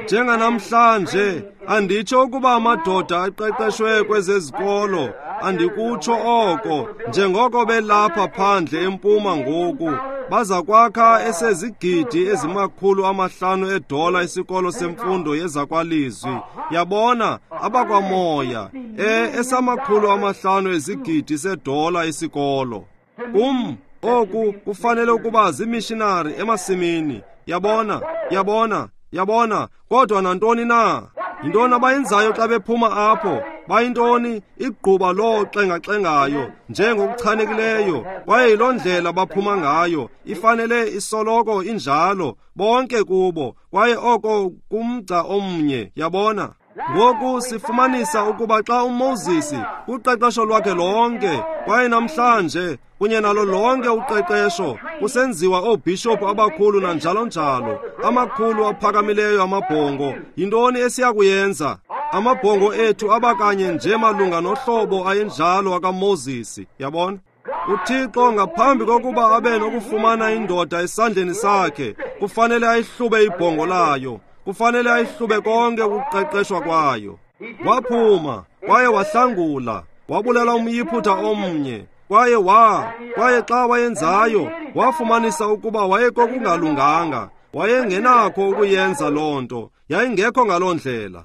Njenganamhlanje, anditsho ukuba amadoda aqeqeshwe kwezezikolo, andikutsho oko, njengoko belapha phandle empuma ngoku, baza kwakha esezigidi ezimakhulu amahlanu edola isikolo semfundo yezakwalizwi. Yabona, abakwamoya, e esamakhulu amahlanu ezigidi sedola isikolo. Kum, oku kufanele ukuba zimishinari emasimini. Yabona, yabona, yabona, kodwa nantoni na? Yintoni abayenzayo xa bephuma apho? Bayintoni? Igquba loo xengaxengayo njengokuchanekileyo, kwaye yiloo ndlela baphuma ngayo. Ifanele isoloko injalo, bonke kubo, kwaye oko kumgca omnye. Yabona? Ngoku sifumanisa ukuba xa uMoses kuqeqesho lwakhe lonke, kwaye namhlanje kunye nalo lonke uqeqesho, kusenziwa oobhishophu abakhulu nanjalo njalo, amakhulu aphakamileyo amabhongo, yintoni esiyakuyenza? Amabhongo ethu abakanye nje malunga nohlobo ayenjalo akaMoses. Yabona? UThixo ngaphambi kokuba abe nokufumana indoda esandleni sakhe, kufanele ayihlube ibhongo layo, kufanele ayihlube konke ukuqeqeshwa kwayo. Waphuma, kwaye wahlangula, wabulala umYiphutha omnye, kwaye wa kwaye xa wayenzayo, wafumanisa ukuba wayekokungalunganga, wayengenakho ukuyenza loo nto, yayingekho ngaloo ndlela.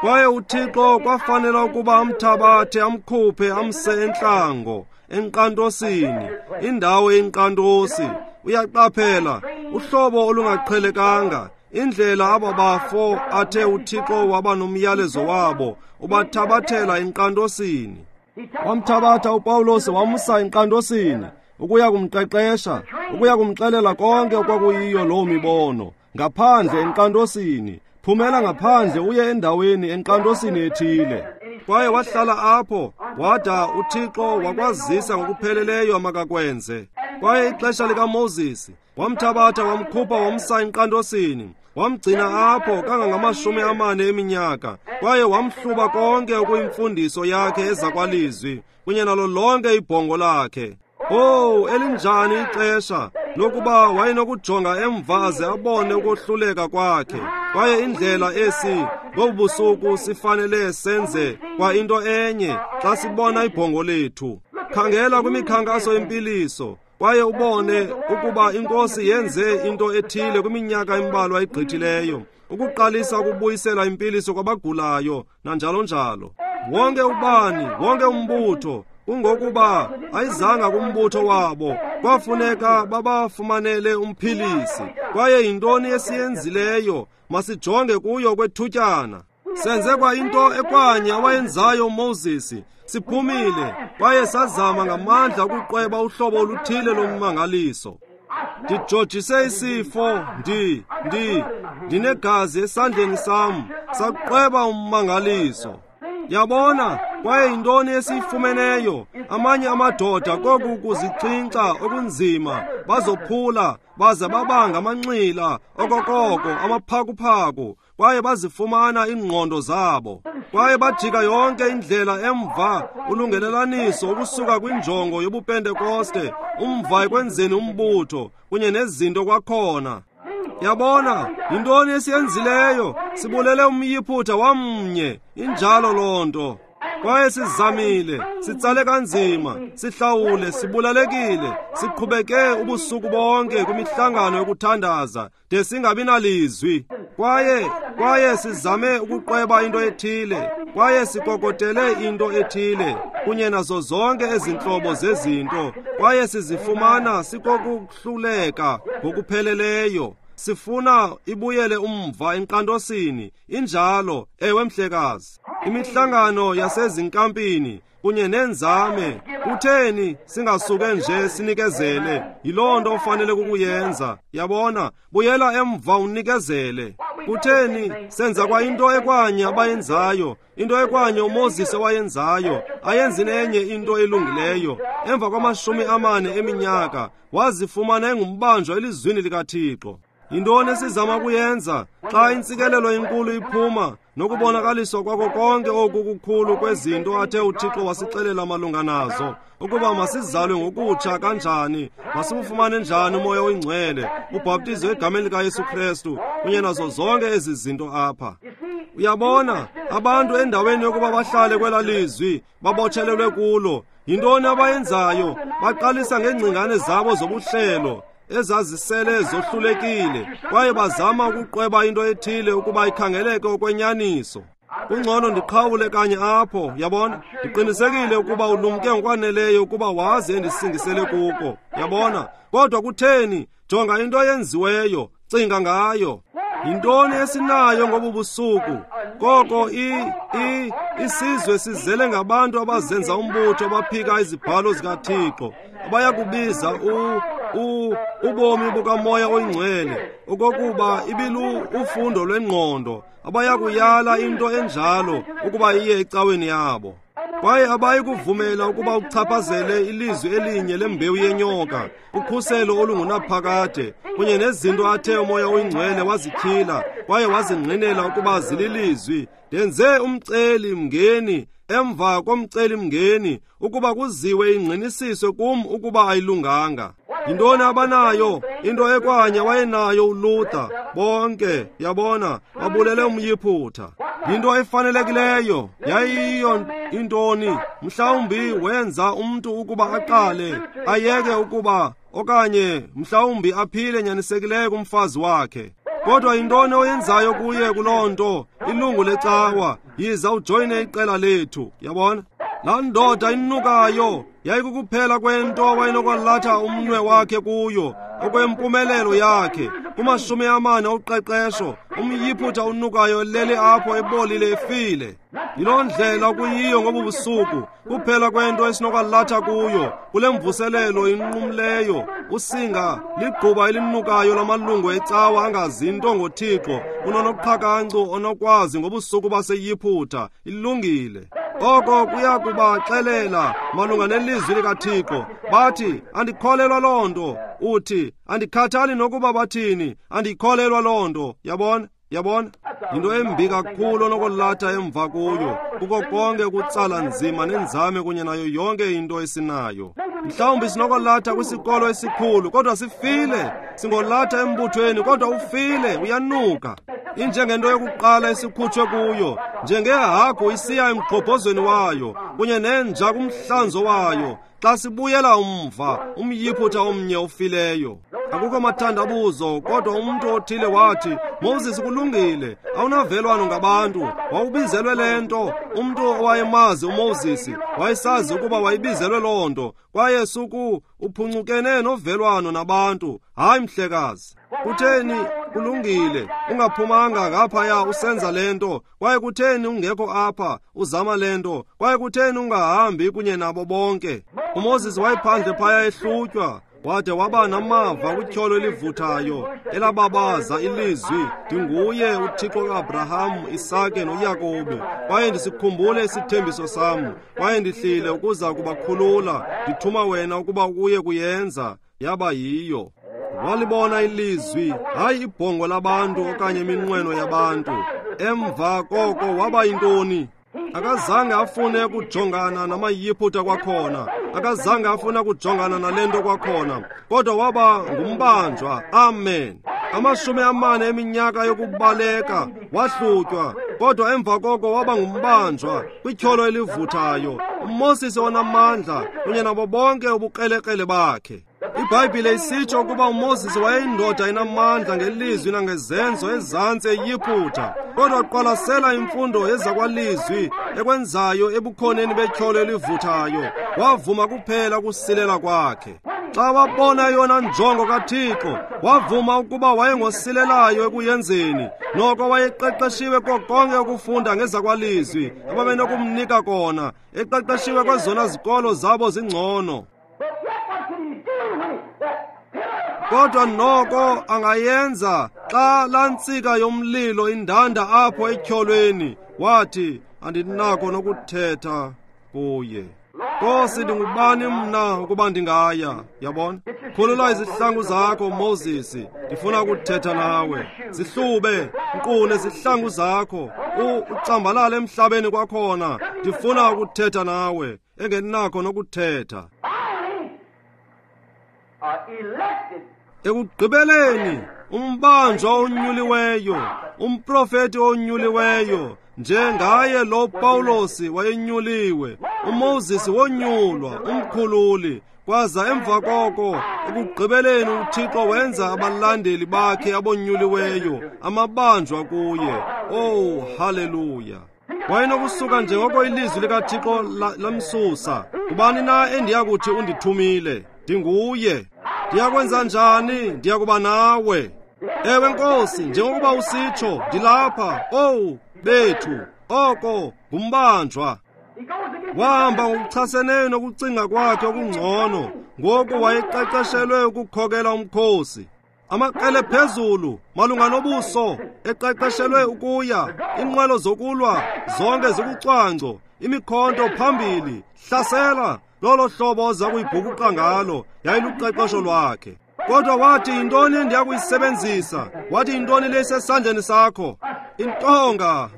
Kwaye uThixo kwafanela ukuba amthabathe, amkhuphe, amse entlango, enkqantosini, indawo yenkqantosi. Uyaqaphela, uhlobo olungaqhelekanga, indlela aba bafo athe uThixo waba nomyalezo wabo, ubathabathela enkqantosini. Wamthabatha uPawulos wamsa enkqantosini ukuya kumqeqesha, ukuya kumxelela konke okwakuyiyo loo mibono. Ngaphandle enkqantosini, phumela ngaphandle uye endaweni enkqantosini ethile. Kwaye wahlala apho wada uThixo wakwazisa ngokupheleleyo amakakwenze. Kwaye ixesha likaMoses Wamthabatha wamkhupha wamsa enkqantosini. Wamgcina apho kangangamashumi amane eminyaka, kwaye wamhluba konke okuyimfundiso yakhe ezakwalizwi kunye nalo lonke ibhongo lakhe. Oh, elinjani ixesha lokuba wayenokujonga emva aze abone ukohluleka kwakhe. Kwaye indlela esi ngobu busuku sifanele senze kwa into enye xa sibona ibhongo lethu. Khangela kwimikhankaso yempiliso kwaye ubone ukuba inkosi yenze into ethile kwiminyaka embalwa egqithileyo, ukuqalisa ukubuyisela impiliso kwabagulayo nanjalo njalo. Wonke ubani, wonke umbutho, kungokuba ayizanga kumbutho wabo, kwafuneka babafumanele umphilisi. Kwaye yintoni esiyenzileyo? Masijonge kuyo kwethutyana. Senze kwa into ekwanye awayenzayo uMoses. Siphumile kwaye sazama ngamandla ukuqweba uhlobo oluthile lommangaliso. Ndijojise isifo, ndi ndi ndinegazi esandleni sam, saqweba ummangaliso. Yabona, kwaye yintoni esiyifumeneyo? Amanye amadoda koku kuzixhinxa okunzima bazophula baze babanga amanxila okokoko amaphakuphaku, kwaye bazifumana iingqondo zabo. Kwaye bajika yonke indlela emva ulungelelaniso ukusuka kwinjongo yobupentekoste umva ekwenzeni umbutho kunye nezinto kwakhona. Yabona, yintoni esiyenzileyo? Sibulele umyiphutha wamnye, injalo loo nto. Kwaye sizamile, sitsale kanzima, sihlawule, sibulalekile, siqhubeke ubusuku bonke kwimihlangano yokuthandaza de singabi nalizwi. Kwaye kwaye sizame ukuqweba into ethile, kwaye sikokotele into ethile kunye nazo zonke ezintlobo zezinto, kwaye sizifumana sikokuhluleka ngokupheleleyo. Sifuna ibuyele umva enkqantosini, injalo, ewe mhlekazi. Imihlangano yasezinkampini kunye nenzame, kutheni singasuke nje sinikezele? Yiloo nto ofanele kukuyenza. Yabona, buyela emva unikezele. Kutheni senza kwa into ekwanye abayenzayo, into ekwanye uMoses owayenzayo, ayenzi nenye into elungileyo. Emva kwamashumi amane eminyaka wazifumana engumbanjwa elizwini likaThixo. Yintoni esizama kuyenza xa intsikelelo enkulu iphuma nokubonakaliswa kwako konke oku kukhulu kwezinto athe uThixo wasixelela malunga nazo, ukuba masizalwe ngokutsha kanjani, masibufumane njani uMoya oyiNgcwele, ubhaptizo egameni likaYesu Kristu kunye nazo zonke ezi zinto apha. Uyabona, abantu endaweni yokuba bahlale kwela lizwi babotshelelwe kulo, yintoni abayenzayo? Baqalisa ngeengcingane zabo zobuhlelo ezazisele zohlulekile, kwaye bazama ukuqweba into ethile ukuba ikhangeleke okwenyaniso. Kungcono ndiqhawule kanye apho, yabona. Ndiqinisekile ukuba ulumke ngokwaneleyo ukuba wazi endisingisele kuko, yabona. Kodwa kutheni? Jonga into eyenziweyo, cinga ngayo. Yintoni esinayo ngobu busuku? Koko i i isizwe sizele ngabantu abazenza umbutho abaphika izibhalo zikaThixo, abayakubiza u u ubomi bukaMoya oyiNgcwele okokuba ibilu ufundo lwengqondo, abayakuyala into enjalo ukuba iye ecaweni yabo. Kwaye abayi kuvumela ukuba uchaphazele ilizwi elinye lembewu yenyoka, ukhuselo olungunaphakade kunye nezinto athe uMoya oyiNgcwele wazityhila kwaye wazingqinela ukuba zililizwi. Ndenze umceli mngeni emva komceli mngeni ukuba kuziwe ingqinisiswe kum ukuba ayilunganga. Yintoni abanayo? Into ekwanye wayenayo uLuther. Bonke, yabona, babulele umyiphutha. Yinto efanelekileyo. Yayiyo intoni? Mhlawumbi wenza umntu ukuba aqale ayeke ukuba, okanye mhlawumbi aphile nyanisekileyo kumfazi wakhe. Kodwa yintoni oyenzayo kuye kuloo nto? Ilungu lecawa, yiza ujoyine iqela lethu, yabona. Laa ndoda inukayo yayikukuphela kwento awayenokwalatha umnwe wakhe kuyo okwempumelelo yakhe. Kumashumi amane oqeqesho, umyiphutha unukayo elele apho ebolile efile. Yiloo ndlela kuyiyo ngobu busuku. Kuphela kwento esinokwalatha kuyo kule mvuselelo inqumleyo, usinga ligquba elinukayo lamalungu ecawa angazinto ngoThixo, kunonoqhakancu onokwazi ngobusuku baseYiphutha. Ilungile. Oko kuya kubaxelela malunga nelizwi likaThixo. Bathi, andikholelwa loo nto. Uthi, andikhathali nokuba bathini, andikholelwa loo nto. Yabona? Yabona? Yinto embi kakhulu onokulatha emva kuyo, kuko konke ukutsala nzima nenzame kunye nayo yonke into esinayo. Mhlawumbi sinokulatha kwisikolo esikhulu, kodwa sifile. Singolatha embuthweni, kodwa ufile, uyanuka. Injengento yokuqala esikhutshwe kuyo, njengehagu isiya emgqobhozweni wayo, kunye nenja kumhlanzo wayo. Xa sibuyela umva, umyiphutha omnye ofileyo. Akukho mathandabuzo, kodwa umntu othile wathi, Moses, kulungile, awunavelwano ngabantu, wawubizelwe le nto. Umntu owayemazi uMoses wayesazi ukuba wayebizelwe loo nto, kwaye suku uphuncukene novelwano nabantu. Hayi mhlekazi, kutheni kulungile ungaphumanga ngaphaya usenza le nto? Kwaye kutheni ungekho apha uzama le nto? Kwaye kutheni ungahambi kunye nabo bonke? uMoses wayephandle phaya ehlutywa, wade waba namava kwityholo elivuthayo elababaza ilizwi, ndinguye uThixo kaAbraham, Isake noYakobi, kwaye ndisikhumbule isithembiso sam, kwaye ndihlile ukuza kubakhulula, ndithuma wena ukuba uye kuyenza. Yaba yiyo. Walibona ilizwi, hayi ibhongo labantu okanye iminqweno yabantu. Emva koko waba yintoni? Akazange afune kujongana namayiphutha kwakhona, akazange afuna kujongana nale nto kwakhona, kodwa waba ngumbanjwa. Amen. Amashumi amane eminyaka yokubaleka wahlutywa, kodwa emva koko waba ngumbanjwa kwityholo elivuthayo. uMoses onamandla kunye nabo bonke ubukrelekrele bakhe. IBhayibhile isitsho ukuba uMoses wayeyindoda enamandla ngelizwi nangezenzo ezantsi eYiphutha, kodwa qwalasela imfundo yezakwalizwi ekwenzayo ebukhoneni betyholo elivuthayo. Wavuma kuphela ukusilela kwakhe. Xa wabona yona njongo kaThixo, wavuma ukuba wayengosilelayo ekuyenzeni. Noko wayeqeqeshiwe konke ukufunda ngezakwalizwi ababenokumnika kona, eqeqeshiwe kwezona zikolo zabo zingcono. Kodwa noko angayenza xa lantsika yomlilo indanda apho etyholweni. Wathi, andinako nokuthetha kuye. Nkosi, ndingubani mna ukuba ndingaya? Yabona? Khulula izihlangu zakho, Moses, ndifuna ukuthetha nawe. Zihlube, nkqu nezihlangu zakho, ucambalale emhlabeni kwakhona, ndifuna ukuthetha nawe. Engenakho nokuthetha. Ekugqibeleni, umbanjwa onyuliweyo, umprofeti onyuliweyo, njengaye lo Pawulos wayenyuliwe, uMoses wonyulwa, umkhululi. Kwaza emva koko, ekugqibeleni uThixo wenza abalandeli bakhe abonyuliweyo, amabanjwa kuye. Oh, haleluya! Wayenokusuka njengoko ilizwi likaThixo lamsusa. Kubani na endiyakuthi undithumile? Ndinguye. Ndiyakwenza njani? Ndiyakuba nawe. Ewe Nkosi, njengokuba usitsho, ndilapha. Owu bethu, oko ngumbanjwa. Wahamba ngokuchaseneyo nokucinga kwakhe okungcono. Ngoku wayeqeqeshelwe ukukhokela umkhosi. Amaqele phezulu malunga nobuso, eqeqeshelwe ukuya, inqwelo zokulwa zonke zikucwangco, imikhonto phambili, hlasela. Lolo hlobo oza kuyibhukuqa ngalo yayiluqeqesho lwakhe. Kodwa wathi, yintoni endiya kuyisebenzisa? Wathi, yintoni le isesandleni sakho? Intonga.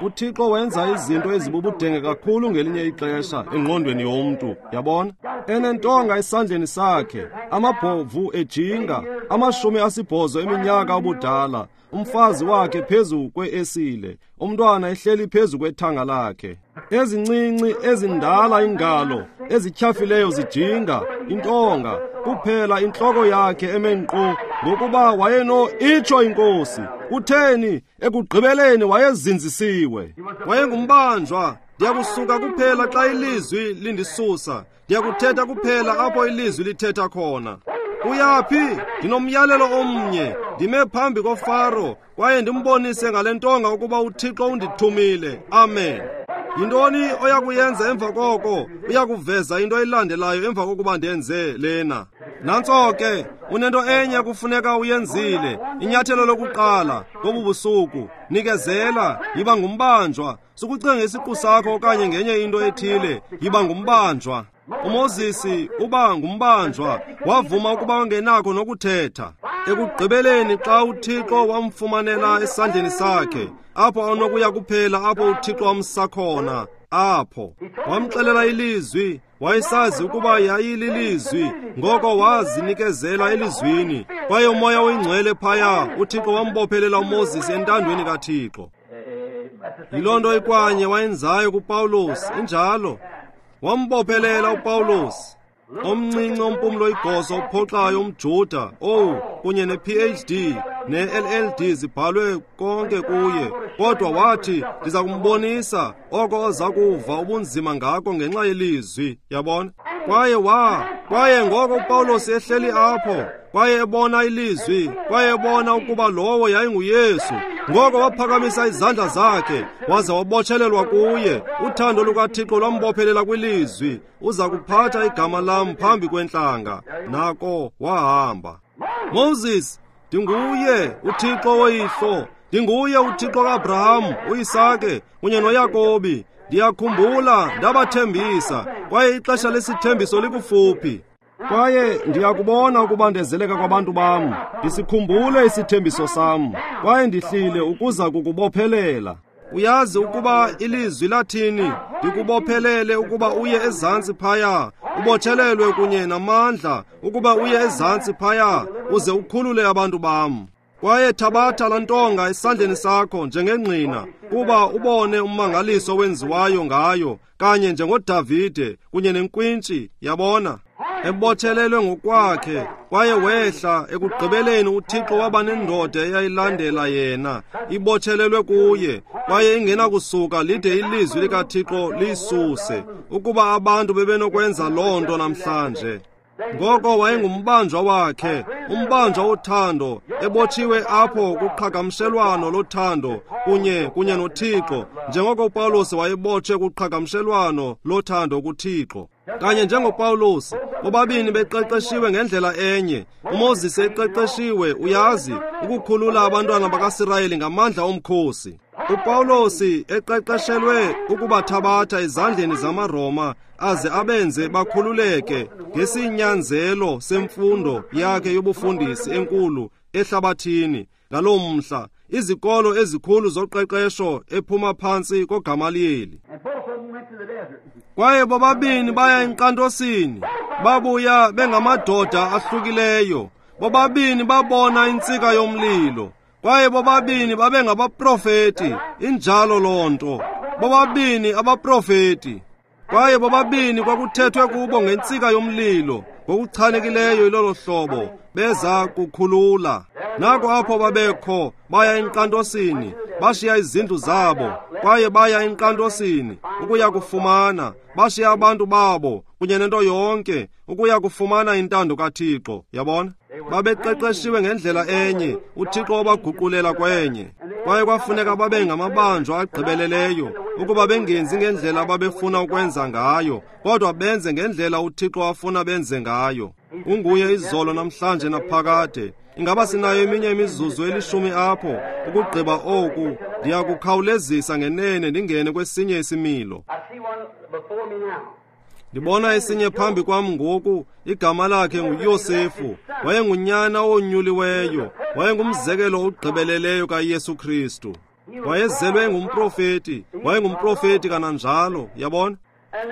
UThixo wenza izinto ezibubudenge kakhulu ngelinye ixesha engqondweni yomntu, yabona? Enentonga esandleni sakhe, amabhovu ejinga, amashumi asibhozo eminyaka ubudala, umfazi wakhe phezu kwe-esile, umntwana ehleli phezu kwethanga lakhe. Ezincinci ezindala ingalo ezityhafileyo zijinga intonga, kuphela intloko yakhe eme nkqo, ngokuba wayeno itsho inkosi. Kutheni? Ekugqibeleni wayezinzisiwe. Wayengumbanjwa. Ndiyakusuka kuphela xa ilizwi lindisusa. Ndiyakuthetha kuphela apho ilizwi lithetha khona. Uyaphi? Ndinomyalelo omnye. Ndime phambi koFaro kwaye ndimbonise ngale ntonga ukuba uThixo undithumile. Amen. Yintoni oya kuyenza emva koko? Uya kuveza into elandelayo emva kokuba ndenze lena. Nantso ke, unento enye kufuneka uyenzile, inyathelo lokuqala ngobu busuku, nikezela, yiba ngumbanjwa. Sukucinga isiqu sakho okanye ngenye into ethile, yiba ngumbanjwa. UMoses uba ngumbanjwa, wavuma ukuba ungenakho nokuthetha. Ekugqibeleni xa uThixo wamfumanela esandleni sakhe, apho anokuya kuphela apho uThixo wamsa khona, apho wamxelela ilizwi, wayesazi ukuba yayililizwi, ngoko wazinikezela elizwini. Kwaye uMoya oyiNgcwele phaya, uThixo wambophelela uMoses entandweni kaThixo. Yiloo nto ikwanye wayenzayo kuPawulos, injalo. Wambophelela uPawulos, omncinci ompumlo igoso ophoxayo umJuda, owu, kunye ne-P H D ne-L L D zibhalwe konke kuye. Kodwa wathi, ndiza kumbonisa oko oza kuva ubunzima ngako ngenxa yelizwi, yabona? Kwaye wa, kwaye ngoko uPawulos ehleli apho, kwaye ebona ilizwi, kwaye ebona ukuba lowo yayinguYesu. Ngoko waphakamisa izandla zakhe, waza wabotshelelwa kuye. Uthando lukaThixo lwambophelela kwilizwi, uza kuphatha igama lam phambi kwentlanga. Nako wahamba. Moses, ndinguye uThixo woyihlo, ndinguye uThixo kaAbraham, uIsake kunye noYakobi. Ndiyakhumbula ndabathembisa, kwaye ixesha lesithembiso likufuphi. Kwaye ndiyakubona ukubandezeleka kwabantu bam, ndisikhumbule isithembiso sam, kwaye ndihlile ukuza kukubophelela. Uyazi ukuba ilizwi lathini, ndikubophelele ukuba uye ezantsi phaya, ubotshelelwe kunye namandla ukuba uye ezantsi phaya, uze ukhulule abantu bam. Kwaye thabatha laa ntonga esandleni sakho njengengqina, kuba ubone ummangaliso owenziwayo ngayo, kanye njengoDavide kunye nenkwintshi, yabona? Ebotshelelwe ngokwakhe, kwaye wehla ekugqibeleni uThixo waba nendoda eyayilandela yena, ibotshelelwe kuye, kwaye ingenakusuka lide ilizwi likaThixo liyisuse, ukuba abantu bebenokwenza loo nto namhlanje. Ngoko wayengumbanjwa wakhe, umbanjwa wothando, ebotshiwe apho kuqhagamshelwano lothando kunye kunye noThixo, njengoko uPawulos wayebotshwe kuqhagamshelwano lothando kuThixo. Kanye njengoPawulos, bobabini beqeqeshiwe ngendlela enye. uMoses eqeqeshiwe, uyazi, ukukhulula abantwana bakaSirayeli ngamandla omkhosi. uPawulos eqeqeshelwe ukubathabatha ezandleni zamaRoma aze abenze bakhululeke ngesinyanzelo semfundo yakhe yobufundisi enkulu ehlabathini. Ngaloo mhla, izikolo ezikhulu zoqeqesho ephuma phantsi koGamaliyeli. Kwaye bobabini baya enkqantosini, babuya bengamadoda ahlukileyo. Bobabini babona intsika yomlilo. Kwaye bobabini babengabaprofeti, injalo loo nto. Bobabini abaprofeti. Kwaye bobabini kwakuthethwe kubo ngentsika yomlilo, ngokuchanekileyo ilolo hlobo, beza kukhulula. Nako apho babekho, baya enkqantosini, bashiya izindlu zabo, kwaye baya enkqantosini ukuya kufumana, bashiya abantu babo kunye nento yonke ukuya kufumana intando kaThixo, yabona? Babeqeqeshiwe ngendlela enye, uThixo wabaguqulela kwenye. Kwaye kwafuneka babe ngamabanjwa agqibeleleyo, ukuba bengenzi ngendlela ababefuna ukwenza ngayo, kodwa benze ngendlela uThixo afuna benze ngayo. Unguye izolo namhlanje naphakade. Ingaba sinayo eminye imizuzu elishumi apho ukugqiba oku? Ndiyakukhawulezisa ngenene ndingene kwesinye isimilo. Ndibona esinye phambi kwam ngoku, igama lakhe nguYosefu. Wayengunyana owonyuliweyo, wayengumzekelo ogqibeleleyo kaYesu Kristu. Wayezelwe engumprofeti, wayengumprofeti kananjalo, yabona?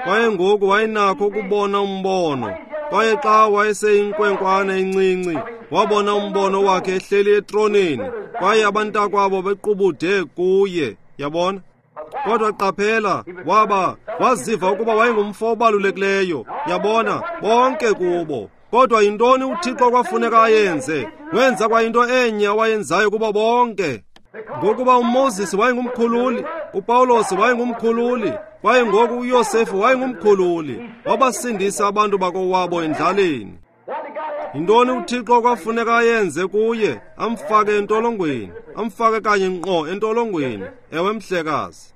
Kwaye ngoku wayenakho ukubona umbono. Kwaye xa wayeseyinkwenkwana encinci, wabona umbono wakhe ehleli etroneni, kwaye abantakwabo bequbude kuye, yabona? Kodwa qaphela, waba waziva ukuba wayengumfo obalulekileyo, yabona, bonke kubo. Kodwa yintoni uThixo kwafuneka ayenze? Wenza kwayinto enye awayenzayo kubo bonke. Ngokuba uMoses wayengumkhululi, uPawulos wayengumkhululi, kwaye ngoku uYosefu wayengumkhululi, wabasindisa abantu bakowabo endlaleni. Yintoni uThixo kwafuneka ayenze kuye? Amfake entolongweni, amfake kanye ngqo entolongweni. Ewe mhlekazi.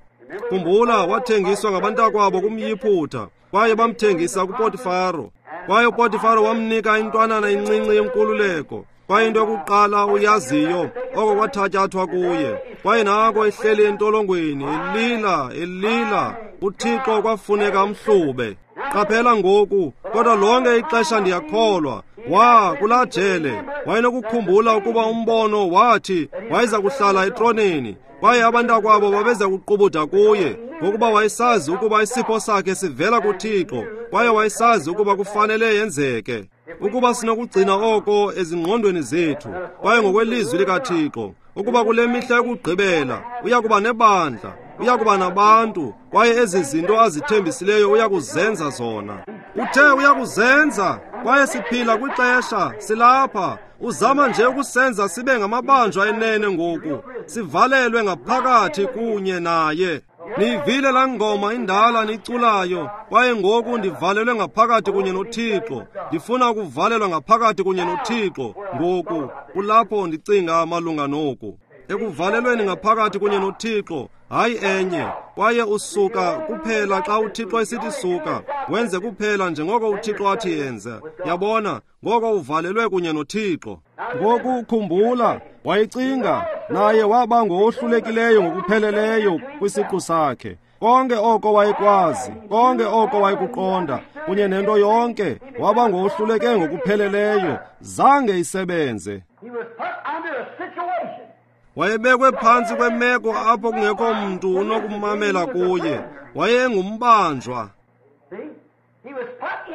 Khumbula, wathengiswa ngabantakwabo kumYiphutha, kwaye bamthengisa kuPotifaro. Kwaye uPotifaro wamnika intwanana incinci yenkululeko. Kwaye into yokuqala uyaziyo, oko kwathatyathwa kuye. Kwaye nako ehleli entolongweni, elila, elila. UThixo kwafuneka amhlube. Qaphela ngoku, kodwa lonke ixesha ndiyakholwa, wa kulaa jele wayenokukhumbula ukuba umbono wathi wayeza kuhlala etroneni, kwaye abantakwabo babeza kuqubuda kuye, ngokuba wayesazi ukuba isipho sakhe sivela kuThixo, kwaye wayesazi ukuba kufanele yenzeke. Ukuba sinokugcina oko ezingqondweni zethu, kwaye ngokwelizwi likaThixo, ukuba kule mihla yokugqibela uya kuba nebandla, uya kuba nabantu, kwaye ezi zinto azithembisileyo uya kuzenza zona. Uthe uya kuzenza, kwaye siphila kwixesha, silapha. Uzama nje ukusenza sibe ngamabanjwa enene ngoku, sivalelwe ngaphakathi kunye naye. Niyivile laa ngoma indala niculayo, kwaye ngoku ndivalelwe ngaphakathi kunye noThixo. Ndifuna ukuvalelwa ngaphakathi kunye noThixo ngoku. Kulapho ndicinga malunga noku. Ekuvalelweni ngaphakathi kunye noThixo, hayi enye. Kwaye usuka kuphela xa uThixo esithi suka, wenze kuphela njengoko uThixo athi yenze. Yabona, ngoko uvalelwe kunye noThixo. Ngoku khumbula, wayecinga, naye waba ngowohlulekileyo ngokupheleleyo kwisiqu sakhe. Konke oko wayekwazi, konke oko wayekuqonda, kunye nento yonke, waba ngowohluleke ngokupheleleyo, zange isebenze. Wayebekwe phantsi kwemeko apho kungekho mntu unokumamela kuye. Wayengumbanjwa.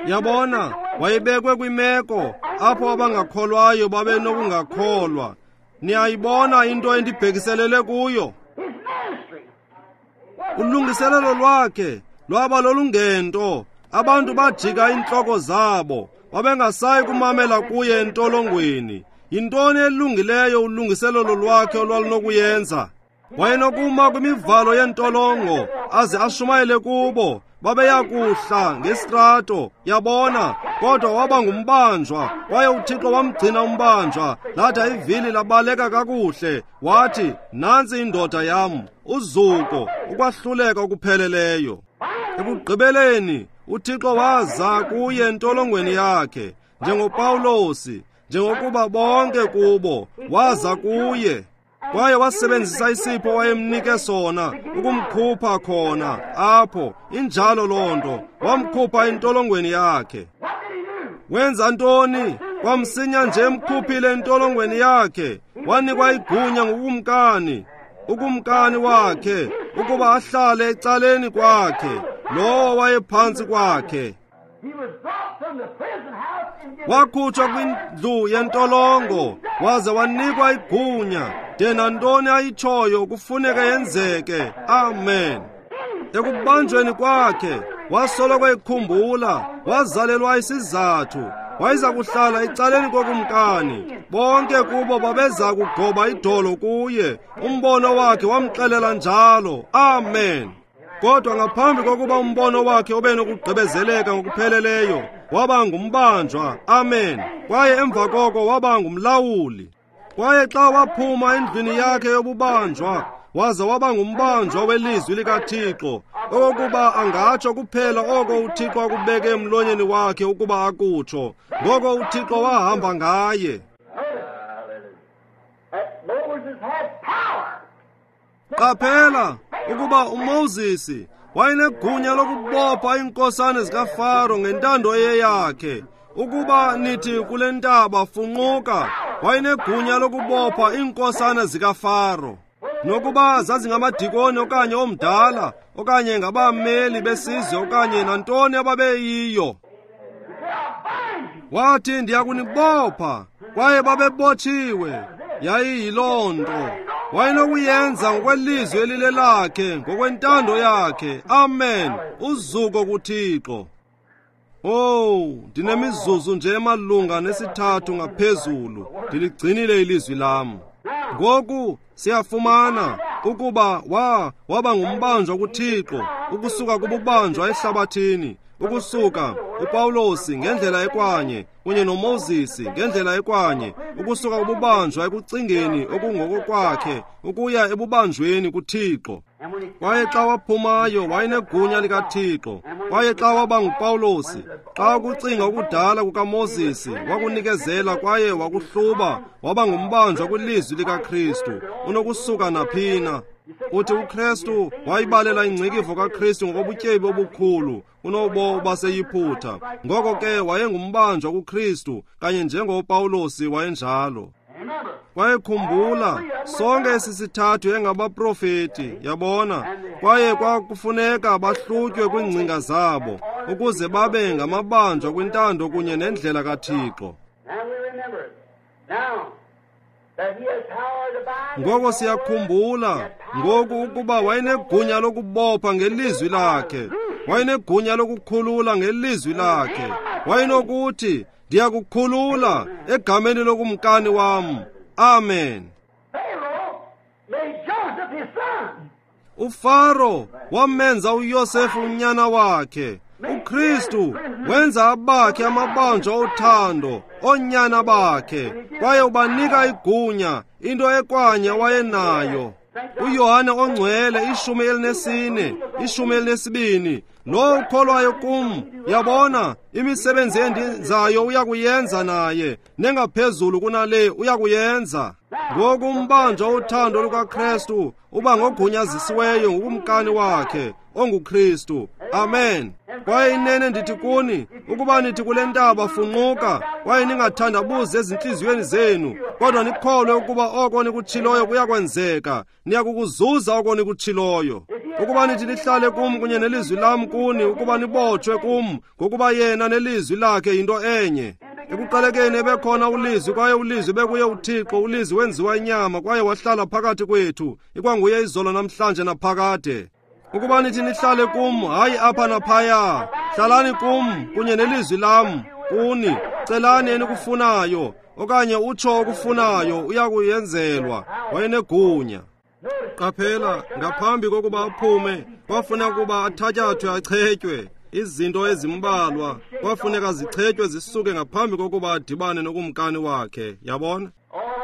Yabona, wayebekwe kwimeko apho abangakholwayo babenokungakholwa. Niyayibona into endibhekiselele kuyo? Ulungiselelo lwakhe lwaba lolungento. Abantu bajika iintloko zabo, babengasayi kumamela kuye entolongweni. Yintoni elungileyo ulungiselelo lwakhe olwalunokuyenza? Wayenokuma kwimivalo yentolongo aze ashumayele kubo, babeya kuhla ngesitrato, yabona, kodwa waba ngumbanjwa, kwaye uThixo wamgcina umbanjwa, latha ivili labaleka kakuhle, wathi, nantsi indoda yam, uzuko, ukwahluleka okupheleleyo. Ekugqibeleni, uThixo waza kuye entolongweni yakhe, njengoPawulosi, njengokuba bonke kubo, waza kuye. Kwaye wasebenzisa isipho wayemnike sona ukumkhupha khona apho. Injalo loo nto, wamkhupha entolongweni yakhe. Wenza ntoni? Kwamsinya nje emkhuphile entolongweni yakhe, wanikwa igunya ngukumkani, ukumkani wakhe, ukuba ahlale ecaleni kwakhe, lowo wayephantsi kwakhe. Wakhutshwa kwindlu yentolongo, waze wanikwa igunya. De nantoni ayitshoyo kufuneka yenzeke. Amen. Ekubanjweni kwakhe, wasoloko ekhumbula, wazalelwa isizathu. Wayeza kuhlala ecaleni kokumkani. Bonke kubo babeza kugoba idolo kuye. Umbono wakhe wamxelela njalo. Amen. Kodwa ngaphambi kokuba umbono wakhe ube nokugqibezeleka ngokupheleleyo, waba ngumbanjwa. Amen. Kwaye emva koko waba ngumlawuli. Kwaye xa waphuma endlwini yakhe yobubanjwa, waza waba ngumbanjwa welizwi likaThixo, okokuba angatsho kuphela oko uThixo akubeke emlonyeni wakhe ukuba akutsho. Ngoko uThixo wahamba ngaye. Qaphela ukuba uMoses wayenegunya lokubopha iinkosana zikaFaro ngentando eyeyakhe. Ukuba nithi kule ntaba funquka, wayenegunya lokubopha iinkosana zikaFaro. Nokuba zazingamadikoni okanye omdala, okanye ngabameli besizwe okanye nantoni ababeyiyo. Wathi, ndiyakunibopha, kwaye babebotshiwe. Yayiyiloo nto. Wayenokuyenza ngokwelizwi elilelakhe, ngokwentando yakhe. Amen. Uzuko kuThixo. Oh, ndinemizuzu nje emalunga nesithathu ngaphezulu. Ndiligcinile ilizwi lam. Ngoku siyafumana ukuba wa waba ngumbanjwa kuThixo, ukusuka kububanjwa ehlabathini, ukusuka uPawulosi ngendlela ekwanye, kunye noMoses ngendlela ekwanye, ukusuka kububanjwa ekucingeni okungokokwakhe ukuya ebubanjweni kuThixo. Kwaye xa waphumayo wayenegunya likaThixo. Kwaye xa waba nguPawulosi, xa ukucinga okudala kukaMoses wakunikezela kwaye wakuhluba, waba ngumbanjwa kwilizwi likaKristu, unokusuka naphina. Uthi uKristu wayibalela ingcikivo kaKristu ngokobutyebi obukhulu kunobo baseYiphutha. Ngoko ke wayengumbanjwa kuKristu kanye njengoPawulosi wayenjalo. Kwaye khumbula, sonke esi sithathu engabaprofeti, yabona, kwaye kwakufuneka bahlutywe kwiingcinga zabo ukuze babe ngamabanjwa kwintando kunye nendlela kaThixo. Ngoko siyakhumbula ngoku ukuba wayenegunya lokubopha ngelizwi lakhe, wayenegunya lokukhulula ngelizwi lakhe. Wayenokuthi, ndiyakukhulula egameni lokumkani wam. Amen. UFaro wamenza uYosefu unyana wakhe. uKristu wenza abakhe amabanjwa othando, oonyana bakhe, kwaye ubanika igunya, into ekwanye wayenayo. uYohane ongcwele ishumi elinesine, ishumi elinesibini, lo ukholwayo kum, yabona, imisebenzi endizayo uyakuyenza naye, nengaphezulu kunale uyakuyenza. Ngoku umbanjwa wothando lukaKristu uba ngogunyazisiweyo ngukumkani wakhe onguKristu. Amen. Kwaye inene ndithi kuni, ukuba nithi kule ntaba funquka, kwaye ningathandabuzi ezintliziyweni zenu, kodwa nikholwe ukuba oko nikutshiloyo kuyakwenzeka, niyakukuzuza oko nikutshiloyo. Ukuba nithi nihlale kum kunye nelizwi lam kuni, ukuba nibotshwe kum, ngokuba yena nelizwi lakhe yinto enye. Ekuqalekeni ebekhona ulizwi, kwaye ulizwi bekuye uThixo, ulizwi wenziwa inyama kwaye wahlala phakathi kwethu, ikwanguye izolo namhlanje naphakade. Ukuba nithi nihlale kum, hayi apha naphaya, hlalani kum kunye nelizwi lam kuni, celani enikufunayo, okanye utsho okufunayo, uyakuyenzelwa. Wayenegunya. Qaphela, ngaphambi kokuba aphume, kwafuneka ukuba athatyathwe achetywe. Izinto ezimbalwa kwafuneka zichetywe zisuke ngaphambi kokuba adibane nokumkani wakhe, yabona?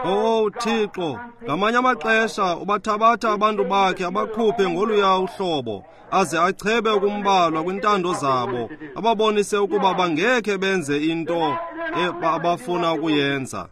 Oh Thixo, ngamanye amaxesha ubathabatha abantu bakhe abakhuphe ngoluya uhlobo, aze achebe ukumbalwa kwintando zabo, ababonise ukuba bangekhe benze into abafuna ukuyenza.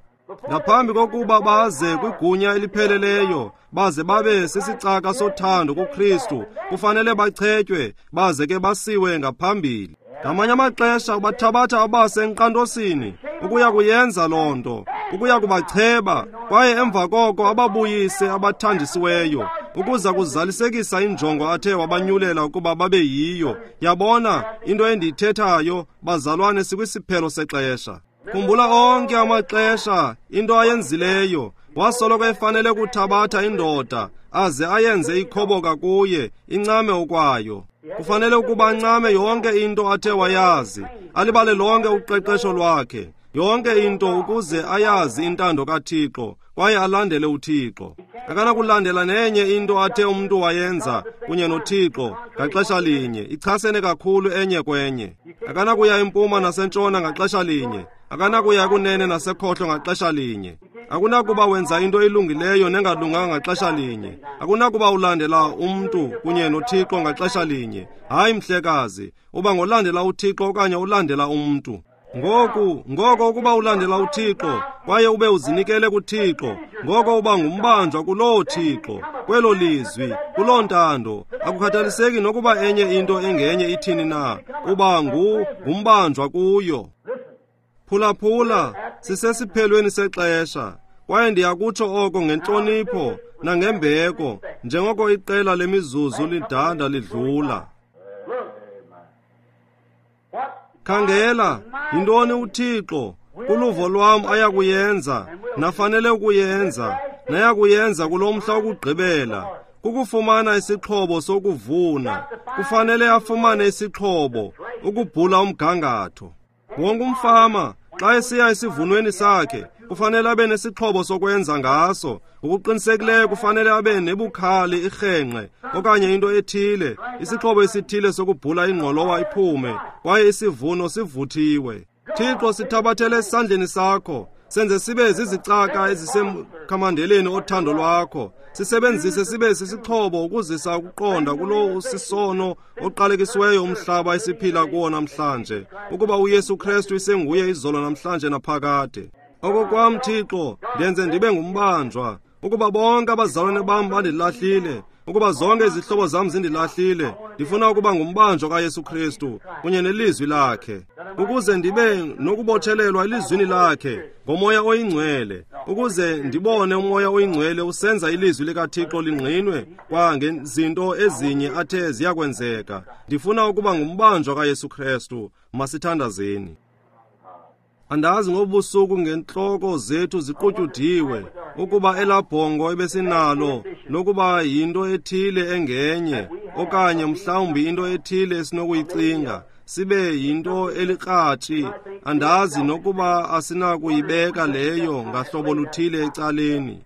Ngaphambi kokuba baze kwigunya elipheleleyo, baze babe sisicaka sothando kuKristu, kufanele bachetywe, baze ke basiwe ngaphambili. Ngamanye amaxesha ubathabatha abase enkqantosini ukuya kuyenza loo nto, ukuya kubacheba, kwaye emva koko ababuyise abathandisiweyo, ukuza kuzalisekisa injongo athe wabanyulela ukuba babe yiyo. Yabona, into endiyithethayo, bazalwane, sikwisiphelo sexesha. Khumbula onke amaxesha into ayenzileyo, wasoloko efanele kuthabatha indoda aze ayenze ikhoboka kuye, incame okwayo. Kufanele ukuba ancame yonke into athe wayazi, alibale lonke uqeqesho lwakhe, yonke into ukuze ayazi intando kaThixo kwaye alandele uThixo. Akanakulandela nenye into athe umntu wayenza kunye noThixo ngaxesha linye, ichasene kakhulu enye kwenye. Akanakuya empuma nasentshona ngaxesha linye, akanakuya kunene nasekhohlo ngaxesha linye. Akunakuba wenza into elungileyo nengalunganga ngaxesha linye. Akunakuba ulandela umntu kunye noThixo ngaxesha linye. Hayi mhlekazi, uba ngolandela uThixo okanye ulandela umntu. Ngoku, ngoko ukuba ulandela uThixo kwaye ube uzinikele kuThixo, ngoko uba ngumbanjwa kuloo Thixo, kwelo lizwi, kuloo ntando. Akukhathaliseki nokuba enye into engenye ithini na, uba ngu ngumbanjwa kuyo. Phulaphula, sisesiphelweni sexesha, kwaye ndiyakutsho oko ngentlonipho nangembeko, njengoko iqela lemizuzu lidanda lidlula. Khangela, yintoni uThixo kuluvo lwam ayakuyenza, nafanele ukuyenza, nayakuyenza kulo mhla wokugqibela, kukufumana isixhobo sokuvuna. Kufanele afumane isixhobo ukubhula umgangatho. Wonke umfama xa esiya esivunweni sakhe kufanele abe nesixhobo sokwenza ngaso. Ngokuqinisekileyo kufanele abe nebukhali, irhenqe okanye into ethile, isixhobo esithile sokubhula ingqolowa iphume, kwaye isivuno sivuthiwe. Thixo, sithabathele esandleni sakho. Senze sibe zizicaka ezisemkhamandeleni othando lwakho. Sisebenzise sibe sisixhobo ukuzisa ukuqonda kulo usisono oqalekisiweyo umhlaba esiphila kuwo namhlanje, ukuba uYesu Kristu isenguye izolo namhlanje naphakade. Okokwam Thixo, ndenze ndibe ngumbanjwa, ukuba bonke abazalwane bam bandilahlile, ukuba zonke izihlobo zam zindilahlile, ndifuna ukuba ngumbanjwa kaYesu Kristu kunye nelizwi lakhe, ukuze ndibe nokubotshelelwa elizwini lakhe ngoMoya oyiNgcwele, ukuze ndibone uMoya oyiNgcwele usenza ilizwi likaThixo lingqinwe kwa ngezinto ezinye athe ziyakwenzeka. Ndifuna ukuba ngumbanjwa kaYesu Kristu. Masithandazeni. Andazi ngobusuku ngentloko zethu ziqutyudiwe, ukuba elabhongo ebesinalo lokuba yinto ethile engenye, okanye mhlawumbi into ethile esinokuyicinga, sibe yinto elikratshi. Andazi nokuba asinakuyibeka leyo ngahlobo luthile ecaleni.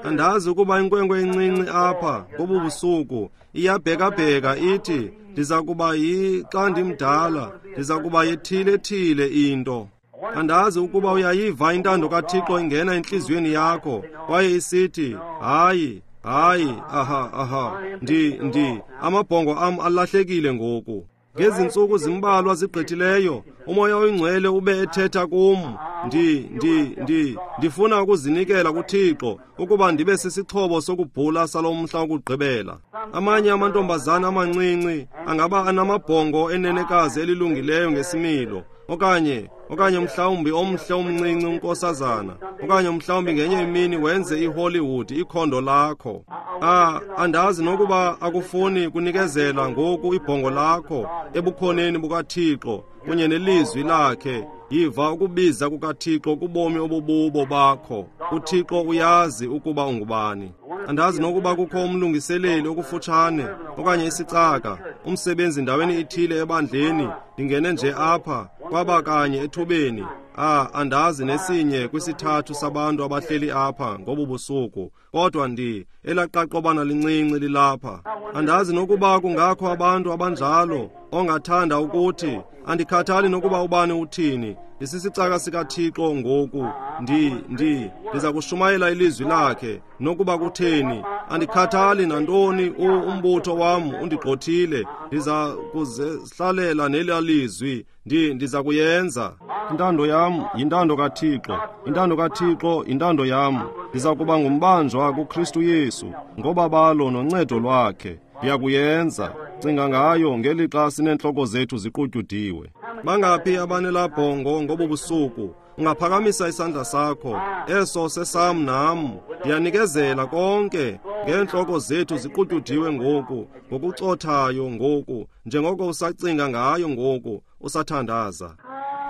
Andazi ukuba inkwenkwe encinci apha ngobu busuku iyabhekabheka ithi, ndiza kuba yi xa ndimdala, ndiza kuba yethile-thile into. Andazi ukuba uyayiva intando kaThixo ingena entliziyweni yakho kwaye isithi, hayi, hayi, aha, aha, ndi, ndi, amabhongo am alahlekile ngoku. Ngezi ntsuku zimbalwa zigqithileyo, uMoya oyiNgcwele ube ethetha kum. Ndi, ndi, ndi, ndifuna ukuzinikela kuThixo ukuba ndibe sisixhobo sokubhula salo mhla wokugqibela. Amanye amantombazana amancinci angaba anamabhongo enenekazi elilungileyo ngesimilo, okanye okanye mhlawumbi omhle omncinci unkosazana, okanye mhlawumbi ngenye imini wenze iHollywood ikhondo lakho. Ah, andazi nokuba akufuni kunikezela ngoku ibhongo lakho ebukhoneni bukaThixo kunye nelizwi lakhe. Yiva ukubiza kukaThixo kubomi obububo bakho. UThixo uyazi ukuba ungubani. Andazi nokuba kukho umlungiseleli okufutshane okanye isicaka, umsebenzi ndaweni ithile ebandleni. Ndingene nje apha kwaba kanye ethubeni. Ah, andazi nesinye kwisithathu sabantu abahleli apha ngobu busuku, kodwa ndi elaqaqobana lincinci lilapha. Andazi nokuba kungakho abantu abanjalo ongathanda ukuthi, andikhathali nokuba ubani uthini, ndisisicaka sikaThixo ngoku. Ndi ndi ndiza kushumayela ilizwi lakhe nokuba kutheni. Andikhathali nantoni, umbutho wam undigqothile, ndiza kuzihlalela nelaa lizwi. Ndi ndiza kuyenza. Intando yam yintando kaThixo, intando kaThixo yintando yam. Ndiza kuba ngumbanjwa kuKristu Yesu ngobabalo noncedo lwakhe. Ndiyakuyenza. Cinga ngayo ngelixa sineentloko zethu ziqutyudiwe. Bangaphi abanelabhongo ngobu busuku? Ungaphakamisa isandla sakho. Eso sesam nam. Ndiyanikezela konke ngeentloko zethu ziqutyudiwe ngoku, ngokucothayo ngoku, njengoko usacinga ngayo ngoku, usathandaza.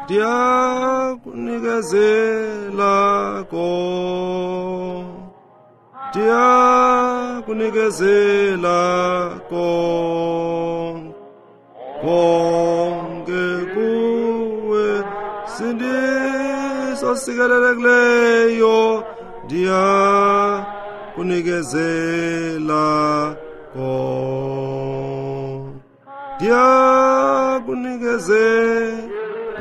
Ndiyakunikezela ko, ndiyakunikezela ko, konke kuwe sindiso sikelelekileyo, ndiyakunikezela ko, ndiyakunikezela.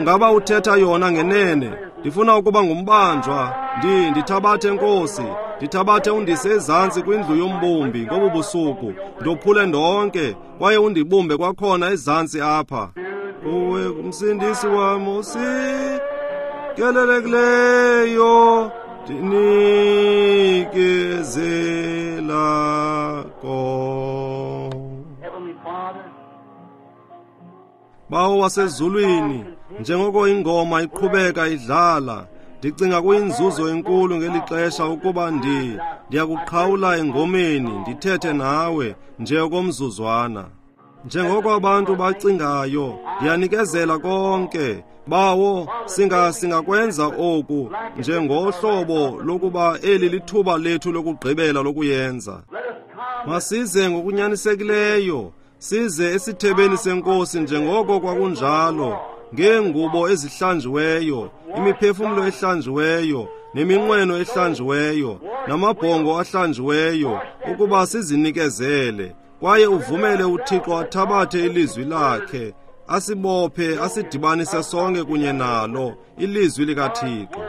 Ngaba uthetha yona ngenene? Ndifuna ukuba ngumbanjwa. Ndi ndithabathe Nkosi, ndithabathe undise ezantsi kwindlu yombumbi ngobu busuku, ndophule ndonke kwaye undibumbe kwakhona ezantsi apha. Kuwe umsindisi wam usikelelekileyo, ndinikezela ko. Bawo wasezulwini, njengoko ingoma iqhubeka idlala, ndicinga kuyinzuzo enkulu ngeli xesha ukuba ndi ndiyakuqhawula engomeni ndithethe nawe nje okomzuzwana. Njengoko abantu bacingayo, ndiyanikezela konke. Bawo, singa singakwenza oku njengohlobo lokuba eli lithuba lethu lokugqibela lokuyenza. Masize ngokunyanisekileyo, size esithebeni senkosi njengoko kwakunjalo, ngeengubo ezihlanjiweyo, imiphefumlo ehlanjiweyo, neminqweno ehlanjiweyo, namabhongo ahlanjiweyo, ukuba sizinikezele. Kwaye uvumele uThixo athabathe ilizwi lakhe, asibophe, asidibanise sonke kunye nalo, ilizwi likaThixo.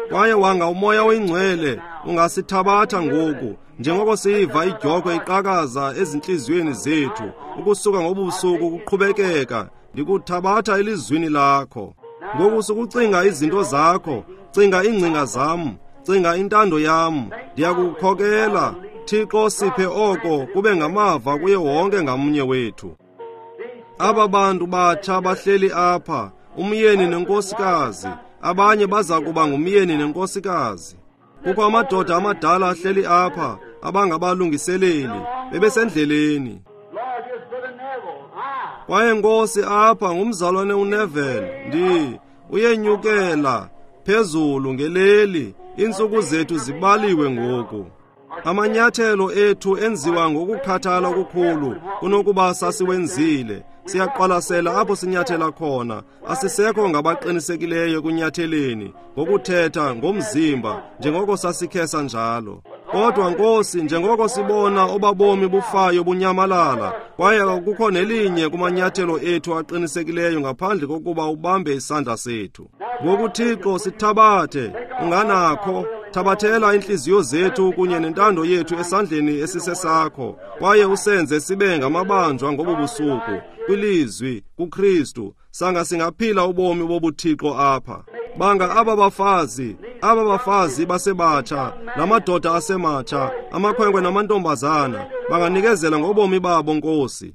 Kwaye wanga uMoya oyiNgcwele ungasithabatha ngoku, njengoko siyiva idyokhwe iqhakaza ezintliziyweni zethu, ukusuka ngobusuku kuqhubekeka, ndikuthabatha elizwini lakho. Ngoku sukucinga izinto zakho, cinga iingcinga zam, cinga intando yam, ndiyakukhokela. Thixo, siphe oko kube ngamava kuye wonke ngamnye wethu. Aba bantu batsha bahleli apha, umyeni nenkosikazi, abanye baza kuba ngumyeni nenkosikazi. Kukho amadoda amadala ahleli apha abangabalungiseleli, bebesendleleni. Kwaye Nkosi, apha ngumzalwane uNeville, ndi uyenyukela phezulu ngeleli, iintsuku zethu zibaliwe ngoku. Amanyathelo ethu enziwa ngokukhathala okukhulu kunokuba sasiwenzile. Siyaqwalasela apho sinyathela khona, asisekho ngabaqinisekileyo ekunyatheleni ngokuthetha ngomzimba njengoko sasikhesa njalo. Kodwa Nkosi, njengoko sibona obabomi bufayo bunyamalala, kwaye akukho nelinye kumanyathelo ethu aqinisekileyo ngaphandle kokuba ubambe isandla sethu. Ngoku Thixo, sithabathe, unganakho, thabathela iintliziyo zethu kunye nentando yethu esandleni esisesakho, kwaye usenze sibe ngamabanjwa ngobu busuku kwilizwi kuKristu, sanga singaphila ubomi bobuthixo apha. Banga aba bafazi, aba bafazi basebatsha, namadoda asematsha, amakhwenkwe namantombazana, banganikezela ngobomi babo Nkosi.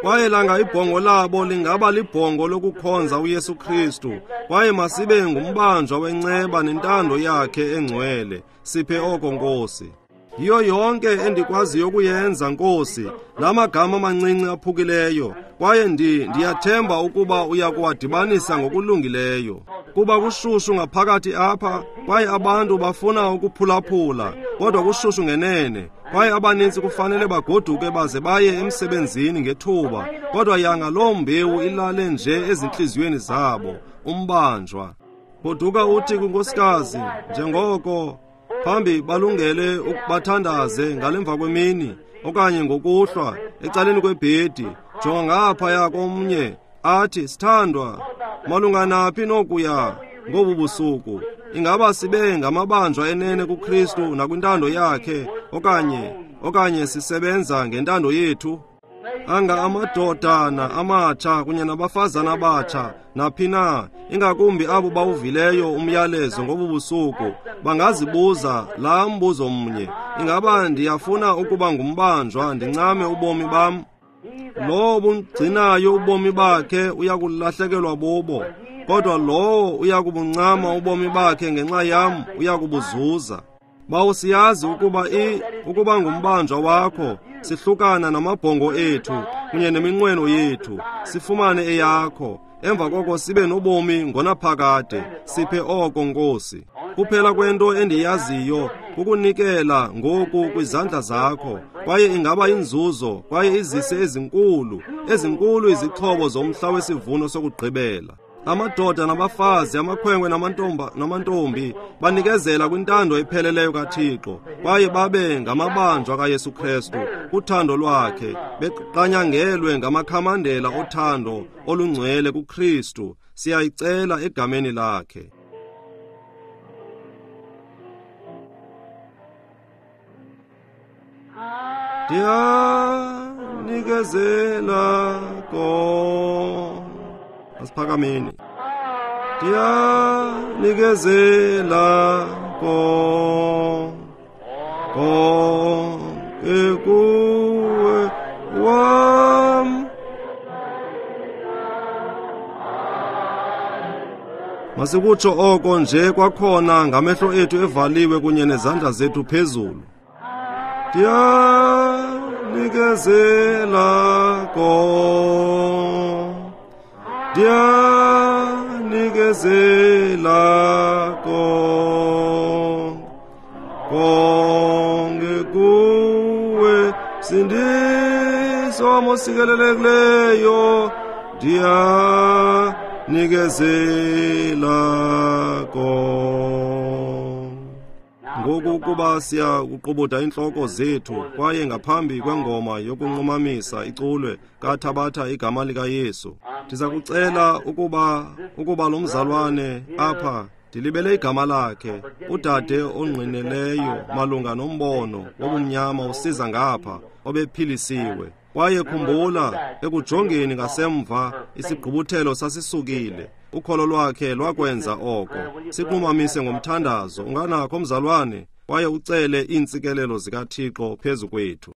Kwaye langa ibhongo labo lingaba libhongo lokukhonza uYesu Kristu, kwaye masibe ngumbanjwa wenceba nentando yakhe engcwele. Siphe oko Nkosi. Yiyo yonke endikwaziyo ukuyenza Nkosi, la magama amancinci aphukileyo, kwaye ndi ndiyathemba ukuba uya kuwadibanisa ngokulungileyo. Kuba kushushu ngaphakathi apha, kwaye abantu bafuna ukuphulaphula, kodwa kushushu ngenene, kwaye abanintsi kufanele bagoduke baze baye emsebenzini ngethuba, kodwa yanga loo mbewu ilale nje ezintliziyweni zabo, umbanjwa. Goduka uthi kwinkosikazi, njengoko phambi balungele ukubathandaze ngalemva kwemini okanye ngokuhlwa ecaleni kwebhedi, jonga ngaphaya komnye athi, sithandwa, malunga naphi nokuya ngobu busuku? Ingaba sibe ngamabanjwa enene kuKristu nakwintando yakhe, okanye okanye sisebenza ngentando yethu? Anga amadodana amatsha kunye nabafazana abatsha naphi na, ingakumbi abo bawuvileyo umyalezo ngobu busuku, bangazibuza laa mbuzo mnye, ingaba ndiyafuna ukuba ngumbanjwa ndincame ubomi bam? Lowo bugcinayo ubomi bakhe uyakulahlekelwa bubo, kodwa lowo uyakubuncama ubomi bakhe ngenxa yam uyakubuzuza. Bawo, siyazi ukuba i ukuba ngumbanjwa wakho, sihlukana namabhongo ethu kunye neminqweno yethu, sifumane eyakho, emva koko sibe nobomi ngonaphakade. Siphe oko Nkosi. Kuphela kwento endiyaziyo kukunikela ngoku kwizandla zakho, kwaye ingaba inzuzo, kwaye izise ezinkulu, ezinkulu izixhobo zomhla wesivuno sokugqibela. Amadoda nabafazi, amakhwenkwe namantomba namantombi banikezela kwintando epheleleyo kaThixo, kwaye babe ngamabanjwa kaYesu Kristu kuthando lwakhe, beqanyangelwe ngamakhamandela othando olungcwele kuKristu. Siyayicela egameni lakhe. Ndiyanikezela ko asiphakameni. Ndiyanikezela ko konke kuwe wam. Masikutsho oko nje kwakhona ngamehlo ethu evaliwe kunye nezandla zethu phezulu. Ndiyanikezela ko, ndiyanikezela ko, konke kuwe msindisi wam osikelelekileyo, ndiyanikezela ko. Ngoku kuba siya kuqubuda iintloko zethu, kwaye ngaphambi kwengoma yokunqumamisa iculwe kathabatha igama likaYesu, ndiza kucela ukuba ukuba lo mzalwane apha Ndilibele igama lakhe, udade ongqineleyo malunga nombono wobumnyama usiza ngapha, obephilisiwe. Kwaye khumbula, ekujongeni ngasemva, isigqubuthelo sasisukile. Ukholo lwakhe lwakwenza oko. Siqumamise ngomthandazo. Unganakho, mzalwane, kwaye ucele iintsikelelo zikaThixo phezu kwethu.